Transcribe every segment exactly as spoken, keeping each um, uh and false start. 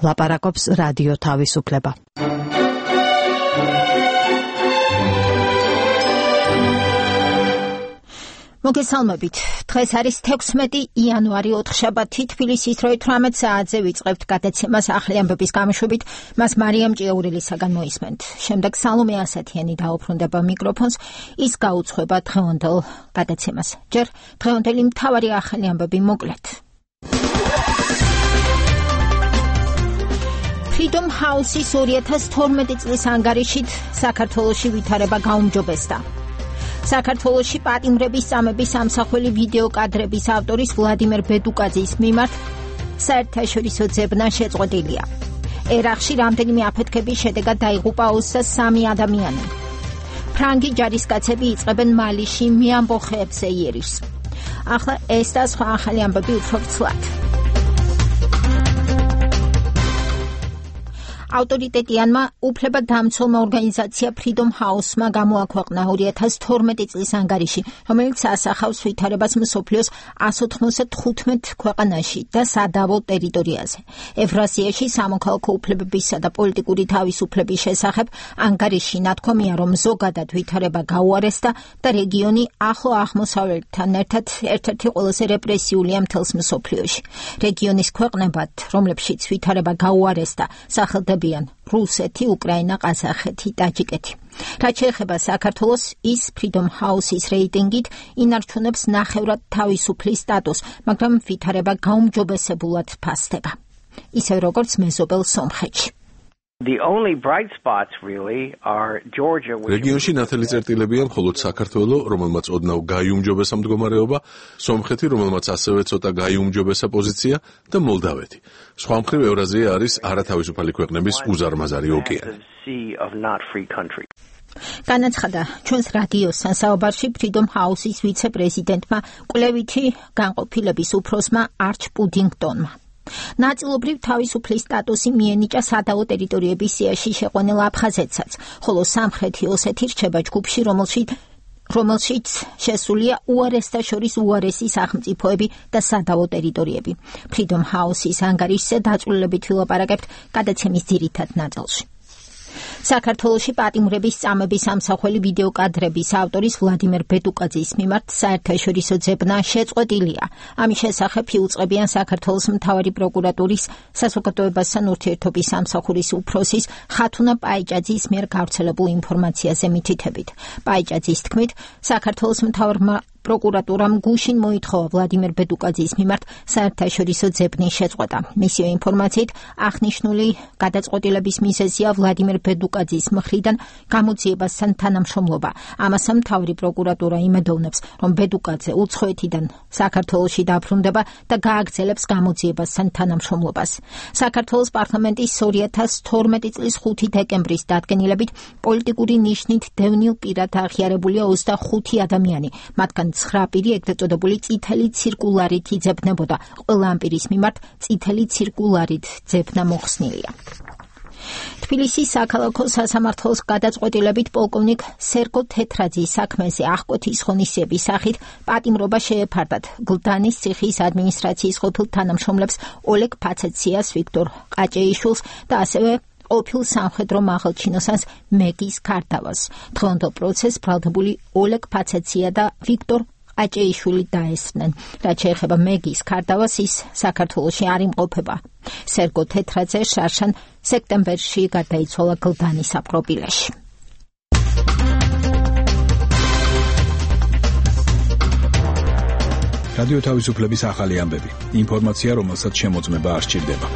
ლაპარაკობს რადიო თავისუფლება. მოგესალმებით. დღეს არის თექვსმეტი იანვარი ოთხშაბათი, თბილისის დროით თვრამეტ საათზე ვიწყებთ გადაცემას ახლი ამბების გამოშვებით, მას მარიამ ჭიაურელისაგან მოისმენთ. შემდეგ სალომე ასათიანი დაუბრუნდება მიკროფონს, ის გაუძღვება დღევანდელ გადაცემას. ჯერ დღევანდელი მთავარი ახლი ამბები მოკლედ. Freedom House-ის ორი ათას თორმეტი წლის ანგარიშით საქართველოში ვითარება გაუმჯობესდა. საქართველოში პატიმრების წამების ამსახველი ვიდეო კადრების ავტორის ვლადიმერ ბედუკაძის მიმართ საერთაშორისო ძებნა შეწყვეტილია. ერაყში რამდენიმე აფეთქების შედეგად დაიღუპა ოცდას სამი ადამიანი. ფრანგი ჯარისკაცები იწყებენ მალიში მეამბოხეებზე იერიშს. ახლა ეს და სხვა ახალი ამბები უფრო ცვლად. ავტორიტეტიანმა უფლებადამცველმა ორგანიზაცია Freedom House-მა გამოაქვეყნა ორი ათას თორმეტი წლის ანგარიში, რომელიც ასახავს ვითარებას მსოფლიოს εκατს ოცდათხუთმეტ ქვეყანაში და სადავო ტერიტორიაზე. ევრაზიაში სამოქალაქო უფლებებისა და პოლიტიკური თავისუფლების შესახებ ანგარიში ნათქვამია, რომ ზოგადად ვითარება გაუარესდა და რეგიონი ახლო აღმოსავლეთთან ერთად ერთ-ერთი ყველაზე რეპრესიულია მთელს მსოფლიოში. რეგიონის ქვეყნებად, რომლებშიც ვითარება გაუარესდა, სახელდება რუსეთი, უკრაინა, ყაზახეთი, ტაჯიკეთი. რაც შეეხება საქართველოს, ის Freedom House-ის რეიტინგით ინარჩუნებს ნახევრად თავისუფლის სტატუსს, მაგრამ ვითარება გაუმჯობესებულად ფასდება. ისევ როგორც მეზობელ სომხეთში. The only bright spots really are Georgia. რეგიონში ნათელი წერტილებია მხოლოდ საქართველო, რომელმაც ოდნავ გაიუმჯობესა მდგომარეობა, სომხეთი, რომელმაც ასევე ცოტა გაიუმჯობესა პოზიცია და მოლდავეთი. სხვა მხრივ ევრაზია არის არათავისუფალი ქვეყნების უზარმაზარი ოკეანე. განაცხადა ჩვენს რადიოსთან საუბარში Freedom House-ის ვიცე-პრეზიდენტმა კვლევითი განყოფილების უფროსმა არჩ პუდინგტონმა. ნაწილობრივ თავისუფლის სტატუსი მიენიჭა სადავო ტერიტორიების სიაში შეყვანილ აფხაზეთსაც, ხოლო სამხრეთი ოსეთი რჩება ჯგუფში, რომელშიც რომელშიც შესულია უარესთა შორის უარესი სახელმწიფოები და სადავო ტერიტორიები. Freedom House-ის ანგარიშზე დაწვრილებით ვილაპარაკებთ გადაცემის ძირითად ნაწილში. საქართველოში პატიმრების წამების ამსახველი ვიდეო კადრების ავტორის ვლადიმერ ბედუკაძის მიმართ საერთაშორისო ძებნა შეწყვეტილია. ამის შესახებ იუწყებიან საქართველოს მთავარი პროკურატურის საზოგადოებასთან ურთიერთობის სამსახურის უფროსის ხათუნა პაიჭაძის მიერ გავრცელებულ ინფორმაციაზე მითითებით. პაიჭაძის თქმით, საქართველოს მთავარმა პროკურატურამ გუშინ მოითხოვა ვლადიმერ ბედუკაძის მიმართ საერთაშორისო ძებნის შეწყვეტა. მისი ინფორმაციით, აღნიშნული გადაწყვეტილების მიზეზია ვლადიმერ ბედუკაძის მხრიდან გამოძიებასთან თანამშრომლობა. ამასთან მთავარი პროკურატურა იმედოვნებს, რომ ბედუკაძე უცხოეთიდან საქართველოში დაბრუნდება და გააგრძელებს გამოძიებასთან თანამშრომლობას. საქართველოს პარლამენტის ორი ათას თორმეტი წლის ხუთი დეკემბრის დადგენილებით პოლიტიკური ნიშნით დევნილ პირად აღიარებულია ოცდახუთი ადამიანი, მათგან ცხრა პირი ეგრეთ წოდებული წითელი ცირკულარით იძებნებოდა. ყველა ამ პირის მიმართ წითელი ცირკულარით ძებნა მოხსნილია. თბილისის საქალაქო სასამართლოს გადაწყვეტილებით პოლკოვნიკ სერგო თეთრაძის საქმეზე აღკვეთის ღონისძიების სახით პატიმრობა შეეფარდათ გლდანის ციხის ადმინისტრაციის ყოფილ თანამშრომლებს ოლეგ ფაცეციას, ვიქტორ ყაჭეიშვილს და ასევე ყოფილ სამხედრო მაღალჩინოსანს მეგის ქარდავას. დღევანდელ პროცესს ბრალდებული ოლეგ ფაცეცია და ვიქტორ ყაჭეიშვილი დაესწრნენ. რაც შეეხება მეგის ქარდავას, ის საქართველოში არ იმყოფება. სერგო თეთრაძე შარშან სექტემბერში გარდაიცვალა გლდანის საპყრობილეში. რადიო თავისუფლების ახალი ამბები. ინფორმაცია, რომელსაც შემოწმება არ სჭირდება.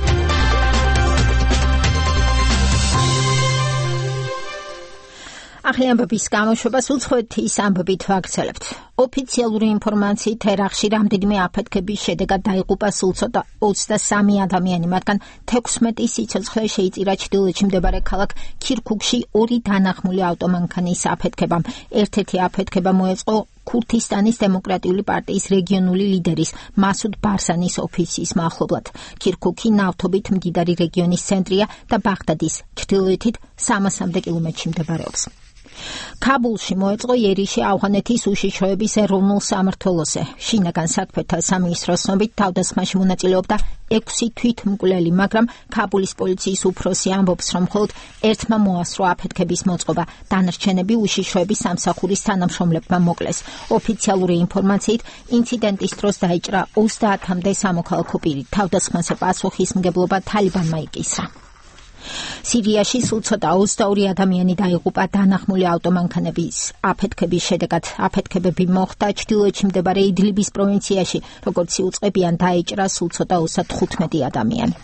ახალი ამბების გამოშვებას უცხოეთის ამბებით ვაგრძელებთ. ოფიციალური ინფორმაციით ერაყში რამდენიმე აფეთქების შედეგად დაიღუპა სულ ცოტა ოცდასამი ადამიანი, მათგან თექვსმეტი სიცოცხლე შეიწირა ჩრდილოეთში მდებარე ქალაქ ქირქუქში ორი დანახმული ავტომანქანის აფეთქებამ. ერთ-ერთი აფეთქება მოეწყო ქურთისტანის დემოკრატიული პარტიის რეგიონული ლიდერის მასუდ ბარზანის ოფისის მახლობლად. ქირქუქი ნავთობით მდიდარი რეგიონის ცენტრია და ბაღდადის ჩრდილოეთით სამასამდე კილომეტრში მდებარეობს. ქაბულში მოეწყო იერიში ავღანეთის უშიშროების ეროვნულ სამმართველოზე. შინაგან საქმეთა სამინისტროს ცნობით თავდასხმაში მონაწილეობდა ექვსი თვითმკვლელი, მაგრამ ქაბულის პოლიციის უფროსი ამბობს, რომ მხოლოდ ერთმა მოასწრო აფეთქების მოწყობა. დანარჩენები უშიშროების სამსახურის თანამშრომლებმა მოკლეს. ოფიციალური ინფორმაციით, ინციდენტის დროს დაიჭრა ოცდაათამდე სამოქალაქო პირი. თავდასხმაზე პასუხისმგებლობა თალიბანმა იკისრა. სირიაში სულ ცოტა ოცდაორი ადამიანი დაიღუპა დანახმული ავტომანქანების აფეთქების შედეგად. აფეთქებები მოხდა ჩრდილოეთში მდებარე იდლიბის პროვინციაში, როგორც იუწყებიან დაიჭრა სულ ცოტა ოცდათხუთმეტი ადამიანი.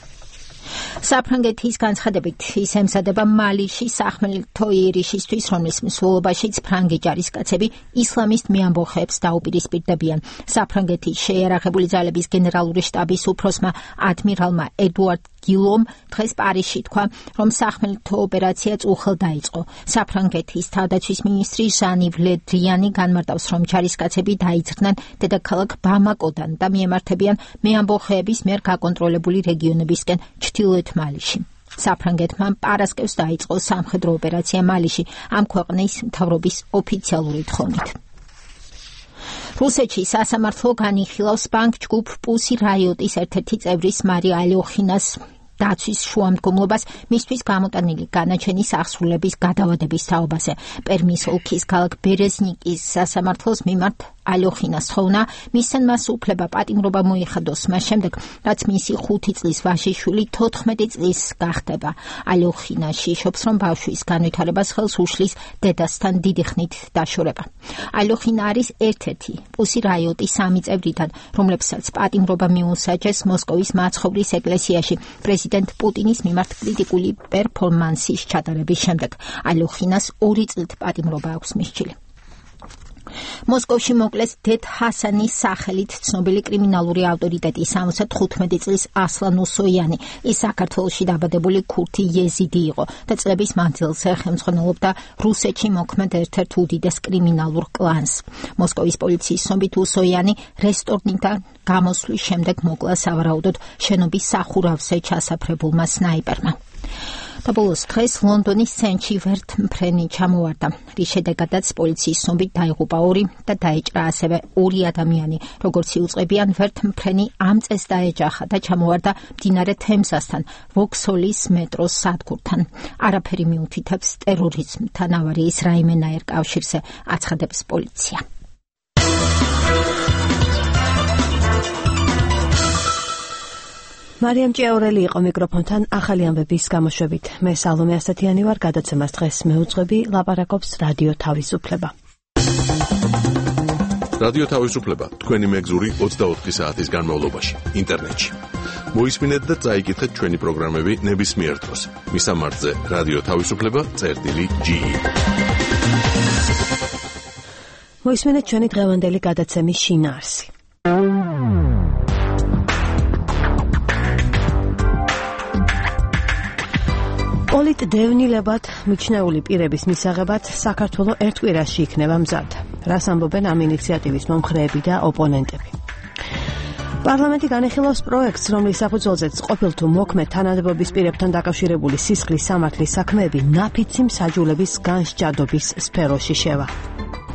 საფრანგეთის განცხადებით ის ემზადება მალიში სახმელთო იერიშისთვის, რომლის მსვლელობაშიც ფრანგი ჯარისკაცები ისლამისტ მეამბოხეებს დაუპირისპირდებიან. საფრანგეთის შეიარაღებული ძალების გენერალური შტაბის უფროსმა ადმირალმა ედუარდ გილომ დღეს პარიზში თქვა, რომ სახმელთო ოპერაცია წუხელ დაიწყო. საფრანგეთის თავდაცვის მინისტრი ჟან-იվ ლე დრიანი განმარტავს, რომ ჯარისკაცები დაიძრნენ დედაქალაქ ბამაკოდან და მიემართებიან მეამბოხეების მიერ გაკონტროლებული რეგიონებისკენ ჩრდილოეთ მალიში. საფრანგეთმა პარასკევს დაიწყო სამხედრო ოპერაცია მალიში, ამ ქვეყნის მთავრობის ოფიციალური თხოვნით. რუსეთში სასამართლო განიხილავს ბანკ ჯგუფ პუსი რაიოტის ერთ-ერთი წევრის მარია ალოხინას დაცვის შუამდგომლობას მისთვის გამოტანილი განაჩენის აღსრულების გადავადების თაობაზე. პერმის ოლქის ქალაქ ბერეზნიკის სასამართლოს მიმართ ალოხინას თხოვნა მისცენ მას უფლება პატიმრობა მოიხადოს მას შემდეგ, რაც მისი ხუთი წლის ვაჟიშვილი თოთხმეტი წლის გახდება. ალოხინა შიშობს, რომ ბავშვის განვითარებას ხელს უშლის დედასთან დიდი ხნით დაშორება. ალოხინა არის ერთ-ერთი პუსი რაიოტის სამი წევრიდან, რომლებსაც პატიმრობა მიუსაჯეს მოსკოვის მაცხოვრის ეკლესიაში პრეზიდენტ პუტინის მიმართ კრიტიკული პერფორმანსის ჩატარების შემდეგ. ალოხინას ორი წლით პატიმრობა აქვს მისჯილი. მოსკოვში მოკლეს დედ ჰასანის სახელით ცნობილი კრიმინალური ავტორიტეტი სამოცდათხუთმეტი წლის ასლან უსოიანი. ის საქართველოში დაბადებული ქურთი იეზიდი იყო და წლების მანძილზე ხელმძღვანელობდა რუსეთში მოქმედ ერთ-ერთ უდიდეს კრიმინალურ კლანს. მოსკოვის პოლიციის ცნობით უსოიანი რესტორნიდან გამოსვლის შემდეგ მოკლა სავარაუდოდ შენობის სახურავზე ჩასაფრებულმა სნაიპერმა. და ბოლოს დღეს ლონდონის ცენტრში ვერთმფრენი ჩამოვარდა, რის შედეგადაც პოლიციის ცნობით დაიღუპა ორი და დაიჭრა ასევე ორი ადამიანი. როგორც იუწყებიან, ვერთმფრენი ამ წელს დაეჯახა და ჩამოვარდა მდინარე თემზასთან, ვოქსჰოლის მეტროს სადგურთან. არაფერი მიუთითებს ტერორიზმთან ავარიის რაიმენაერ კავშირზე, აცხადებს პოლიცია. მარიამ ჭიაურელი იყო მიკროფონთან ახალი ამბების გამოშვებით. მე სალომე ასათიანი ვარ, გადაცემას დღეს მეუძღვები, ლაპარაკობს რადიო თავისუფლება. რადიო თავისუფლება თქვენი მეგზური ოცდაოთხი საათის განმავლობაში ინტერნეტში. მოისმინეთ და წაიკითხეთ ჩვენი პროგრამები ნებისმიერ დროს. მისამართზე რადიო თავისუფლება წერტილი ჯი. მოისმინეთ ჩვენი დღევანდელი გადაცემის შინაარსი. პოლიტდევნილებად მიჩნეული პირების მისაღებად საქართველო ერთ კვირაში იქნება მზად. რას ამბობენ ამ ინიციატივის მომხრეები და ოპონენტები? პარლამენტი განიხილავს პროექტს, რომლის საფუძველზეც ყოფილ თუ მოქმედ თანამდებობის პირებთან დაკავშირებული სისხლის სამართლის საქმეები ნაფიცი მსაჯულების განსჯადობის სფეროში შევა.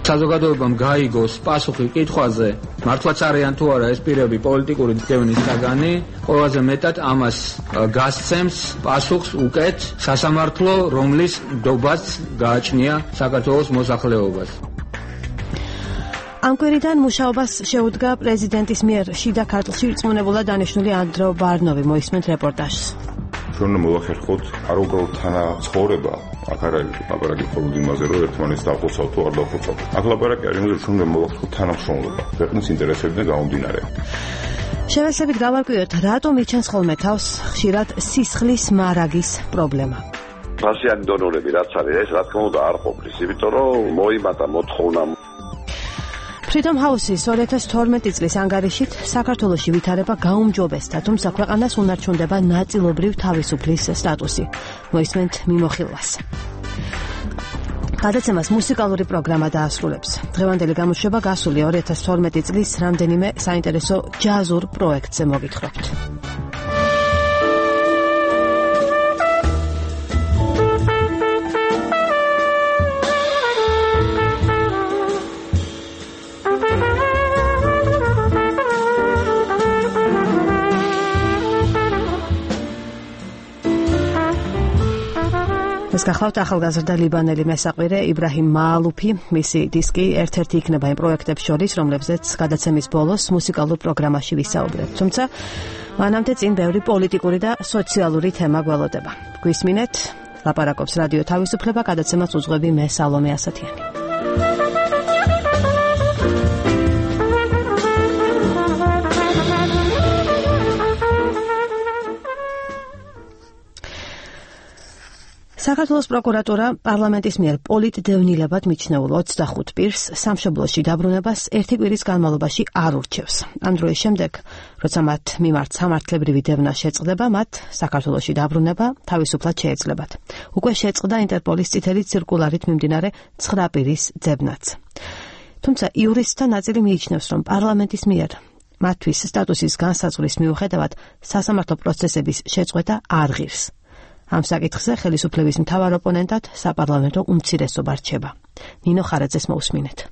საზოგადოებამ გაიგოს პასუხი კითხვაზე, მართლაც არიან თუ არა ეს პირები პოლიტიკური დევნის საგანი, ყველაზე მეტად ამას გასცემს პასუხს უკეთ სასამართლო, რომლის ნდობაც გააჩნია საქართველოს მოსახლეობას. ამ კვირიდან მუშაობას შეუდგა პრეზიდენტის მიერ შიდა ქართლში რწმუნებულად დანიშნული ანდრო ბარნოვი. მოისმენთ რეპორტაჟს. ჩვენ მოვახერხოთ არაუკრაულ თანაცხოვრება. აქ არ არის ლაპარაკი მხოლოდ იმაზე, რომ ერთმანეთს დავხოცავთ თუ არ დავხოცავთ. აქ ლაპარაკი არის იმაზე, რომ ჩვენ მოვახერხოთ თანამშრომლობა ქვეყნის ინტერესებიდან გამომდინარე. შევესებით გავარკვიოთ, რატომ იჩენს ხოლმე თავს ხშირად სისხლის მარაგის პრობლემა. ფასიანი დონორები რაც არის, ეს რა თქმა უნდა არ ყოფნის, იმიტომ რომ მოიმატა მოთხოვნა. Freedom House-ის ორი ათას თორმეტი წლის ანგარიშით საქართველოში ვითარება გაუმჯობესდა, თუმცა ქვეყანას უნარჩუნდება ნაწილობრივ თავისუფლის სტატუსი. მოისმენთ მიმოხილვას. გადაცემას მუსიკალური პროგრამა დაასრულებს. დღევანდელი გამოშვება გასული ორი ათას თორმეტი წლის რამდენიმე საინტერესო ჯაზურ პროექტზე მოგითხრობთ. ეს გახლავთ ახალგაზრდა ლიბანელი მესაყვირე იბრაჰიმ მაალუფი, მისი დისკი ერთ-ერთი იქნება იმ პროექტებს შორის, რომლებზეც გადაცემის ბოლოს მუსიკალურ პროგრამაში ვისაუბრებთ. თუმცა მანამდე წინ ბევრი პოლიტიკური და სოციალური თემა გველოდება. გვისმინეთ, ლაპარაკობს რადიო თავისუფლება, გადაცემას უძღვები მე სალომე ასათიანი. საქართველოს პროკურატურა პარლამენტის მიერ პოლიტდევნილებად მიჩნეულ ოცდახუთ პირს სამშობლოში დაბრუნებას ერთი კვირის განმავლობაში არ ურჩევს. ამ დროის შემდეგ, როცა მათ მიმართ სამართლებრივი დევნა შეწყდება, მათ საქართველოში დაბრუნება თავისუფლად შეეძლებათ. უკვე შეწყდა ინტერპოლის წითელი ცირკულარით მიმდინარე ცხრა პირის ძებნაც. თუმცა იურისტთა ნაწილი მიიჩნევს, რომ პარლამენტის მიერ მათთვის სტატუსის განსაზღვრის მიუხედავად სასამართლო პროცესების შეწყვეტა არ ღირს. ამ საკითხზე ხელისუფლების მთავარ ოპონენტად საპარლამენტო უმცირესობა რჩება. ნინო ხარაძეს მოусმინეთ.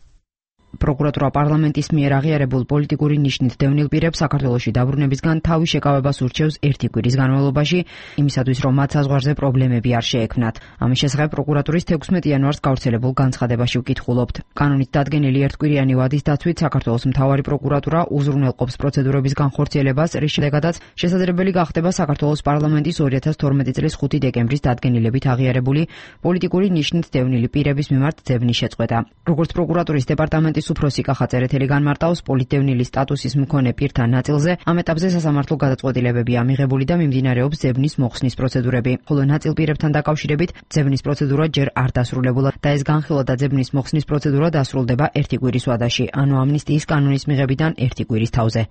პროკურატურა პარლამენტის მიერ აღიარებულ პოლიტიკური ნიშნით დევნილ პირებს საქართველოში დაბრუნებისგან თავის შეკავებას ურჩევს ერთი კვირის განმავლობაში, იმისათვის რომ მათ საზღვარზე პრობლემები არ შეექმნათ. ამის შესახებ პროკურატურის თექვსმეტი იანვარს გავრცელებულ განცხადებაში ვკითხულობთ. კანონით დადგენილი ერთკვირიანი ვადის დაცვით საქართველოს მთავარი პროკურატურა უზრუნველყოფს პროცედურების განხორციელებას, რის შედეგადაც შესაძლებელი გახდება საქართველოს პარლამენტის ორი ათას თორმეტი წლის ხუთი დეკემბრის დადგენილებით აღიარებული პოლიტიკური ნიშნით დევნილი პირების მიმართ ძებნის შეწყვეტა. როგორც პროკურატურის დეპარტამენტის უფროსი კახა წერეთელი განმარტავს, პოლიტდევნილის სტატუსის მქონე პირთა ნაწილზე ამ ეტაპზე სასამართლო გადაწყვეტილებებია მიღებული და მიმდინარეობს ძებნის მოხსნის პროცედურები, ხოლო ნაწილ პირებთან დაკავშირებით ძებნის პროცედურა ჯერ არ დასრულებულა და ეს განხილვა და ძებნის მოხსნის პროცედურა დასრულდება ერთი კვირის ვადაში, ანუ ამნისტიის კანონის მიღებიდან ერთი კვირის თავზე.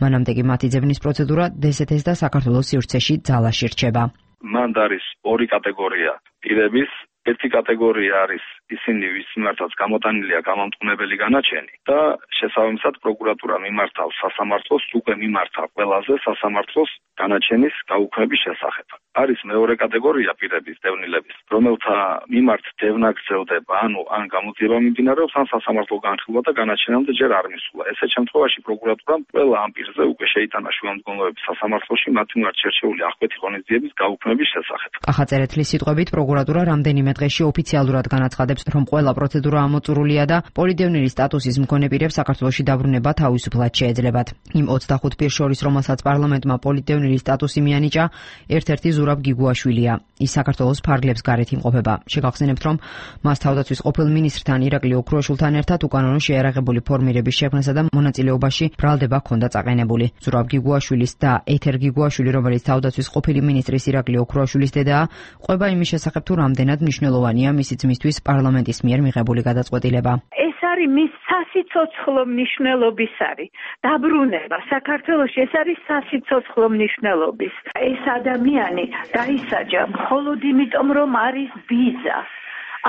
მანამდე კი მათი ძებნის პროცედურა დსთ-ს და საქართველოს სივრცეში ძალაში რჩება. მანდ არის ორი კატეგორია პირების. ერთი კატეგორია არის ისინი, ვის მიმართაც გამოტანილია გამამტყუნებელი განაჩენი და შესაბამისად პროკურატურა მიმართავს სასამართლოს, უკვე მიმართა ყველაზე სასამართლოს განაჩენის გაუქმების შესახებ. არის მეორე კატეგორია პირების დევნილების, რომელთა მიმართ დევნა გრძელდება, ანუ ან გამოძიება მიმდინარეობს, ან სასამართლო განხილვა და განაჩენამდე ჯერ არ მისულა. ესეთ შემთხვევაში პროკურატურამ ყველა ამ პირზე უკვე შეიტანა შუამდგომლობები სასამართლოში მათი მიმართ შერჩეული აღკვეთი ღონისძიების გაუქმების შესახებ. კახა წერეთლის სიტყვებით პროკურატურა რამდენიმე დღეში ოფიციალურად განაცხადებს, რომ ყველა პროცედურა ამოწურულია და პოლიტდევნილის სტატუსის მქონე პირებს საქართველოში დაბრუნება თავისუფლად შეეძლებათ. იმ ოცდახუთ პირს შორის, რომელსაც პარლამენტმა პოლიტდევნილის სტატუსი მიანიჭა, ერთ-ერთი ზურაბ გიგუაშვილია. ის საქართველოს ფარგლებს გარეთ იმყოფება. შეგახსენებთ, რომ მას თავდაცვის ყოფილ მინისტრთან ირაკლი ოქრუაშვილთან ერთად უკანონო შეიარაღებული ფორმირების შექმნასა და მონაწილეობაში ბრალდება ჰქონდა წაყენებული. ზურაბ გიგუაშვილის და ეთერ გიგუაშვილი, რომელიც თავდაცვის ყოფილი მინისტრის ირაკლი ოქრუაშვილის დედაა, ყვება იმის შესახებ, თუ რამდენად მნიშვნელოვანია მისი ძმისთვის პარლამენტის მიერ მიღებული გადაწყვეტილება. ეს არის მის სასიცოცხლო მნიშვნელობის არის დაბრუნება საქართველოში, ეს არის სასიცოცხლო მნიშვნელობის. ეს ადამიანი დაისაჯა მხოლოდ იმიტომ, რომ არის ბიძა.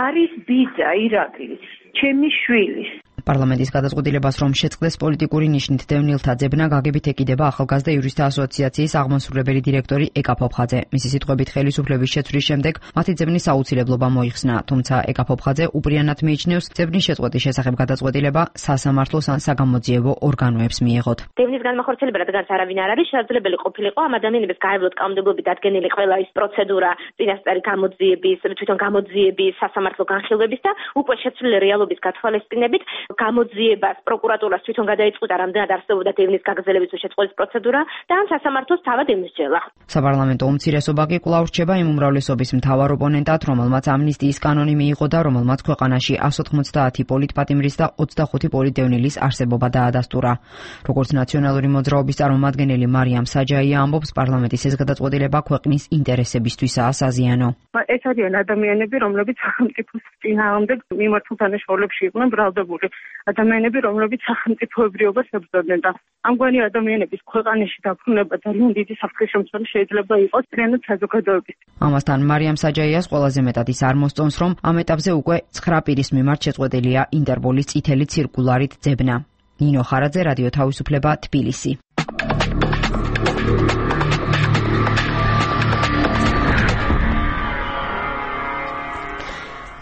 არის ბიძა ირაკლის, ჩემი შვილის. პარლამენტის გადაწყვეტილებას რომ შეწყდეს პოლიტიკური ნიშნით დევნილთა ძებნა, გაგებით ეკიდება ახალგაზრდა იურისტთა ასოციაციის აღმასრულებელი დირექტორი ეკა ფოფხაძე. მისი სიტყვებით ხელისუფლების შეცვლის შემდეგ მათი ძებნის აუცილებლობა მოიხსნა, თუმცა ეკა ფოფხაძე უპრიანად მიიჩნევს, ძებნის შეწყვეტის შესახებ გადაწყვეტილება სასამართლოს ან საგამოძიებო ორგანოებს მიეღოთ. ძებნის განმახორციელება, რადგან არავინ არ არის, შესაძლებელი ყოფილიყო ამ ადამიანების გაევლოთ კანონმდებლობით დადგენილი ყველა ის პროცედურა, წინასწარი გამოძიების, თვითონ გამოძიების, სასამართლო განხილვების და უკვე შეცვლილი რეალობის გათვალისწინებით გამოძიებას პროკურატურას თვითონ გადაიწყვეტა, რამდენად არსებობდა დევნის გაგრძელების შეწყვეტის პროცედურა და ან სასამართლოს თავად ემსჯელა. საპარლამენტო უმცირესობა კი კვლავ რჩება იმ უმრავლესობის მთავარ ოპონენტად, რომელმაც ამნისტიის კანონი მიიღო და რომელმაც ქვეყანაში εκατს ოცდაათი პოლიტპატიმრის და ოცდახუთი პოლიტდევნილის არსებობა დაადასტურა. როგორც ნაციონალური მოძრაობის წარმომადგენელი მარიამ საჯაია ამბობს, პარლამენტის ეს გადაწყვეტილება ქვეყნის ინტერესებისთვისაა საზიანო. ეს არიან ადამიანები, რომლებიც სახელმწიფოს წინააღმდეგ მიმართულ დანაშაულებში იყვნენ ბრალდებული. ადამიანები, რომლებიც სახელმწიფოებრიობას ებრძოდნენ და ამგვარი ადამიანების ქვეყანაში დაბრუნება ძალიან დიდი საფრთხე-შემცველი შეიძლება იყოს მთლიანად საზოგადოების. ამასთან მარიამ საჯაიას ყველაზე მეტად ის არ მოსწონს, რომ ამ ეტაპზე უკვე ცხრა პირის მიმართ შეწყვეტილია ინტერპოლის წითელი ცირკულარით ძებნა. ნინო ხარაძე, რადიო თავისუფლება, თბილისი.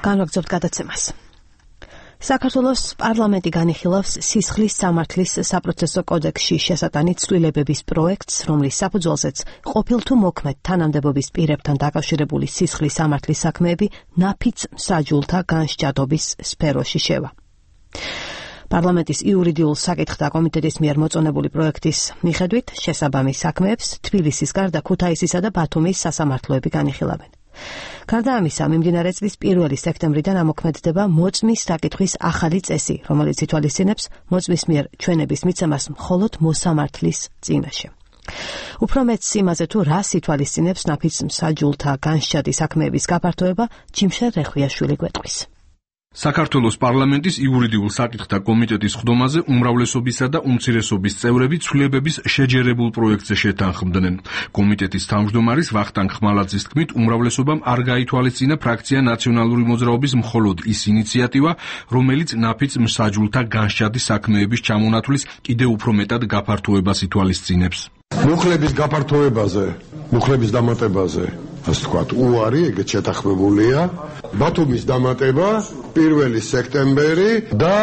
განვაგრძობთ გადაცემას. საქართველოს პარლამენტი განიხილავს სისხლის სამართლის საპროცესო კოდექსში შესატანი ცვლილებების პროექტს, რომლის საფუძველზეც ყოფილ თუ მოქმედ თანამდებობის პირებთან დაკავშირებული სისხლის სამართლის საქმეები ნაფიც მსაჯულთა განსჯადობის სფეროში შევა. პარლამენტის იურიდიულ საკითხთა კომიტეტის მიერ მოწონებული პროექტის მიხედვით შესაბამის საქმეებს თბილისის გარდა ქუთაისისა და ბათუმის სასამართლოები განიხილავენ. გარდა ამისა, მიმდინარე წლის პირველი სექტემბრიდან ამოქმედდება მოწმის საკითხვის ახალი წესი, რომელიც ითვალისწინებს მოწმის მიერ ჩვენების მიცემას მხოლოდ მოსამართლის წინაშე. უფრო მეტს იმაზე თუ რას ითვალისწინებს ნაფიც მსაჯულთა განსჯადის საქმეების გაფართოება, ჯიმშელ რეხვიაშვილი გვეტყვის. საქართველოს პარლამენტის იურიდიულ საკითხთა კომიტეტის ხდომაზე უმრავლესობისა და უმცირესობის წევრები ცვლილებების შეჯერებულ პროექტზე შეთანხმდნენ. კომიტეტის თავმჯდომარის ვახტანგ ხმალაძის თქმით, უმრავლესობამ არ გაითვალისწინა ფრაქცია ნაციონალური მოძრაობის მხოლოდ ის ინიციატივა, რომელიც ნაფიც მსაჯულთა განსჯადის საქმეების ჩამონათვლის კიდევ უფრო მეტად გაფართოებას ითვალისწინებს. მუხლების გაფართოებაზე, მუხლების დამატებაზე, ასე ვთქვათ, უარი ეგეც შეთანხმებულია. ბათუმის დამატება პირველი სექტემბერი და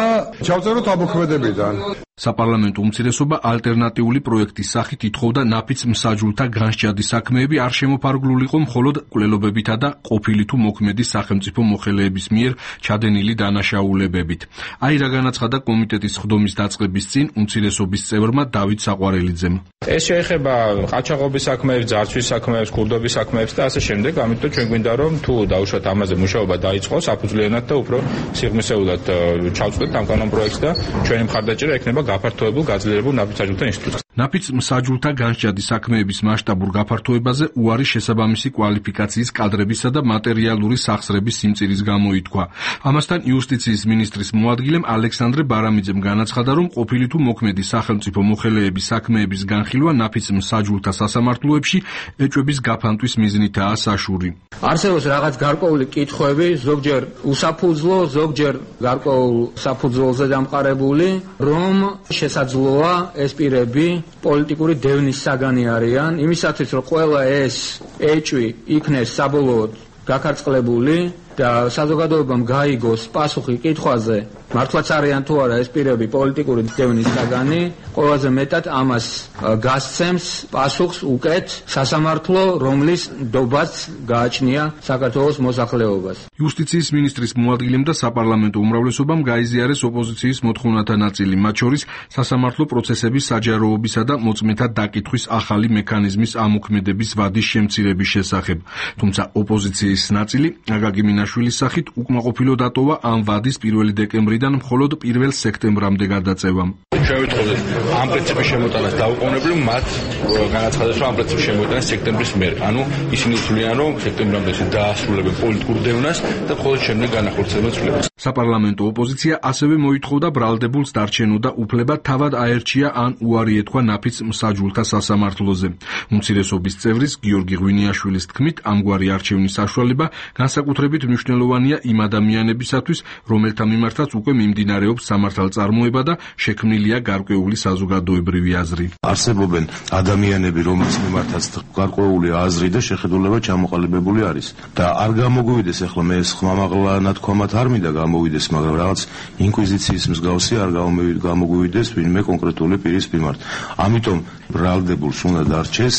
ჩავწეროთ ამოქმედებიდან. საპარლამენტო უმცირესობა ალტერნატიული პროექტის სახით ითხოვდა ნაფიც მსაჯულთა განსჯადის საქმეები არ შემოფარგლულიყო მხოლოდ კვლელობებითა და ყოფილი თუ მოქმედი სახელმწიფო მოხელეების მიერ ჩადენილი დანაშაულებებით. აი რა განაცხადა კომიტეტის ხდომის დაწყების წინ უმცირესობის წევრმა დავით საყვარელიძემ. ეს შეეხება ყაჩაღობის საქმეებს, ძარცვის საქმეებს, ქურდობის საქმეებს და ასე შემდეგ. ამიტომ ჩვენ გვინდა რომ თუ დაუშვათ ამაზე მუშაობა დაიწყოს აფუძვლიანად და უფრო სიღრმისეულად ჩავწვდეთ ამ კანონპროექტს და ჩვენი მხარდაჭერა ექნება გაფართოებულ გაძლიერებულ ნაფიც მსაჯულთა ინსტიტუტს. ნაფიც მსაჯულთა განსჯადის საქმეების მასშტაბურ გაფართოებაზე უარი შესაბამისი კვალიფიკაციის კადრებისა და მატერიალური სახსრების სიმწირის გამო ითქვა. ამასთან იუსტიციის მინისტრის მოადგილემ ალექსანდრე ბარამიძემ განაცხადა, რომ ყოფილი თუ მოქმედი სახელმწიფო მოხელეების საქმეების განხილვა ნაფიც მსაჯულთა სასამართლოებში ეჭვების გაფანტვის მიზნითაა საშური. არსებობს რაღაც გარკვეული კითხვები, ზოგჯერ უსაფუძვლო, ზოგჯერ გარკვეულ საფუძველზე დამყარებული, რომ შესაძლოა ეს პირები პოლიტიკური დევნის საგანი არიან, იმისათვის რომ ყველა ეს ეჭვი იქნეს საბოლოოდ გაქარწყლებული და საზოგადოებამ გაიგოს პასუხი კითხვაზე, მართლაც არიან თუ არა ეს პირები პოლიტიკური დევნის საგანი, ყველაზე მეტად ამას გასცემს პასუხს უკეთ სასამართლო, რომლის ნდობაც გააჩნია საქართველოს მოსახლეობას. იუსტიციის მინისტრის მოადგილემ და საპარლამენტო უმრავლესობამ გაიზიარეს ოპოზიციის მოთხოვნათა ნაწილი, მათ შორის სასამართლო პროცესების საჯაროობისა და მოწმეთა დაკითხვის ახალი მექანიზმის ამოქმედების ვადის შემცირების შესახებ. თუმცა ოპოზიციის ნაწილი აკაკი მინაშვილის სახით უკმაყოფილო დატოვა ამ ვადის პირველი დეკემბრიდან მხოლოდ პირველ სექტემბრამდე გადაწევამ. ჩვენ ვიტყოდეთ ამ პრინციპის შემოტანას დაუყოვნებლივ მათ განაცხადეს, რომ ამ პრინციპის შემოტანა სექტემბრის მერე. ანუ ისინი თვლიან, რომ სექტემბრამდე დაასრულებენ პოლიტიკურ დევნას და მხოლოდ შემდეგ განახორციელებენ ცვლილებას. საპარლამენტო ოპოზიცია ასევე მოითხოვდა ბრალდებულს დარჩენოდა უფლება თავად აერჩია ან უარი ეთქვა ნაფიც მსაჯულთა სასამართლოზე. უმცირესობის წევრის გიორგი ღვინიაშვილის თქმით, ამგვარი არჩევნის საშუალება განსაკუთრებით მნიშვნელოვანია იმ ადამიანებისათვის, რომელთა მიმართაც უკვე მიმდინარეობს სამართალწარმოება და შექმნილია გარკვეული საზოგადოებრივი აზრი. არსებობენ ადამიანები, რომლის მიმართაც გარკვეული აზრი და შეხედულება ჩამოყალიბებული არის და არ გამოგვივიდეს, ახლა მე ეს ხმამაღლა ნათქვამად არ მინდა გამოვიდეს, მაგრამ რაღაც ინკვიზიციის მსგავსი არ გამოგვივიდეს ვინმე კონკრეტული პირის მიმართ. ამიტომ ბრალდებულს უნდა დარჩეს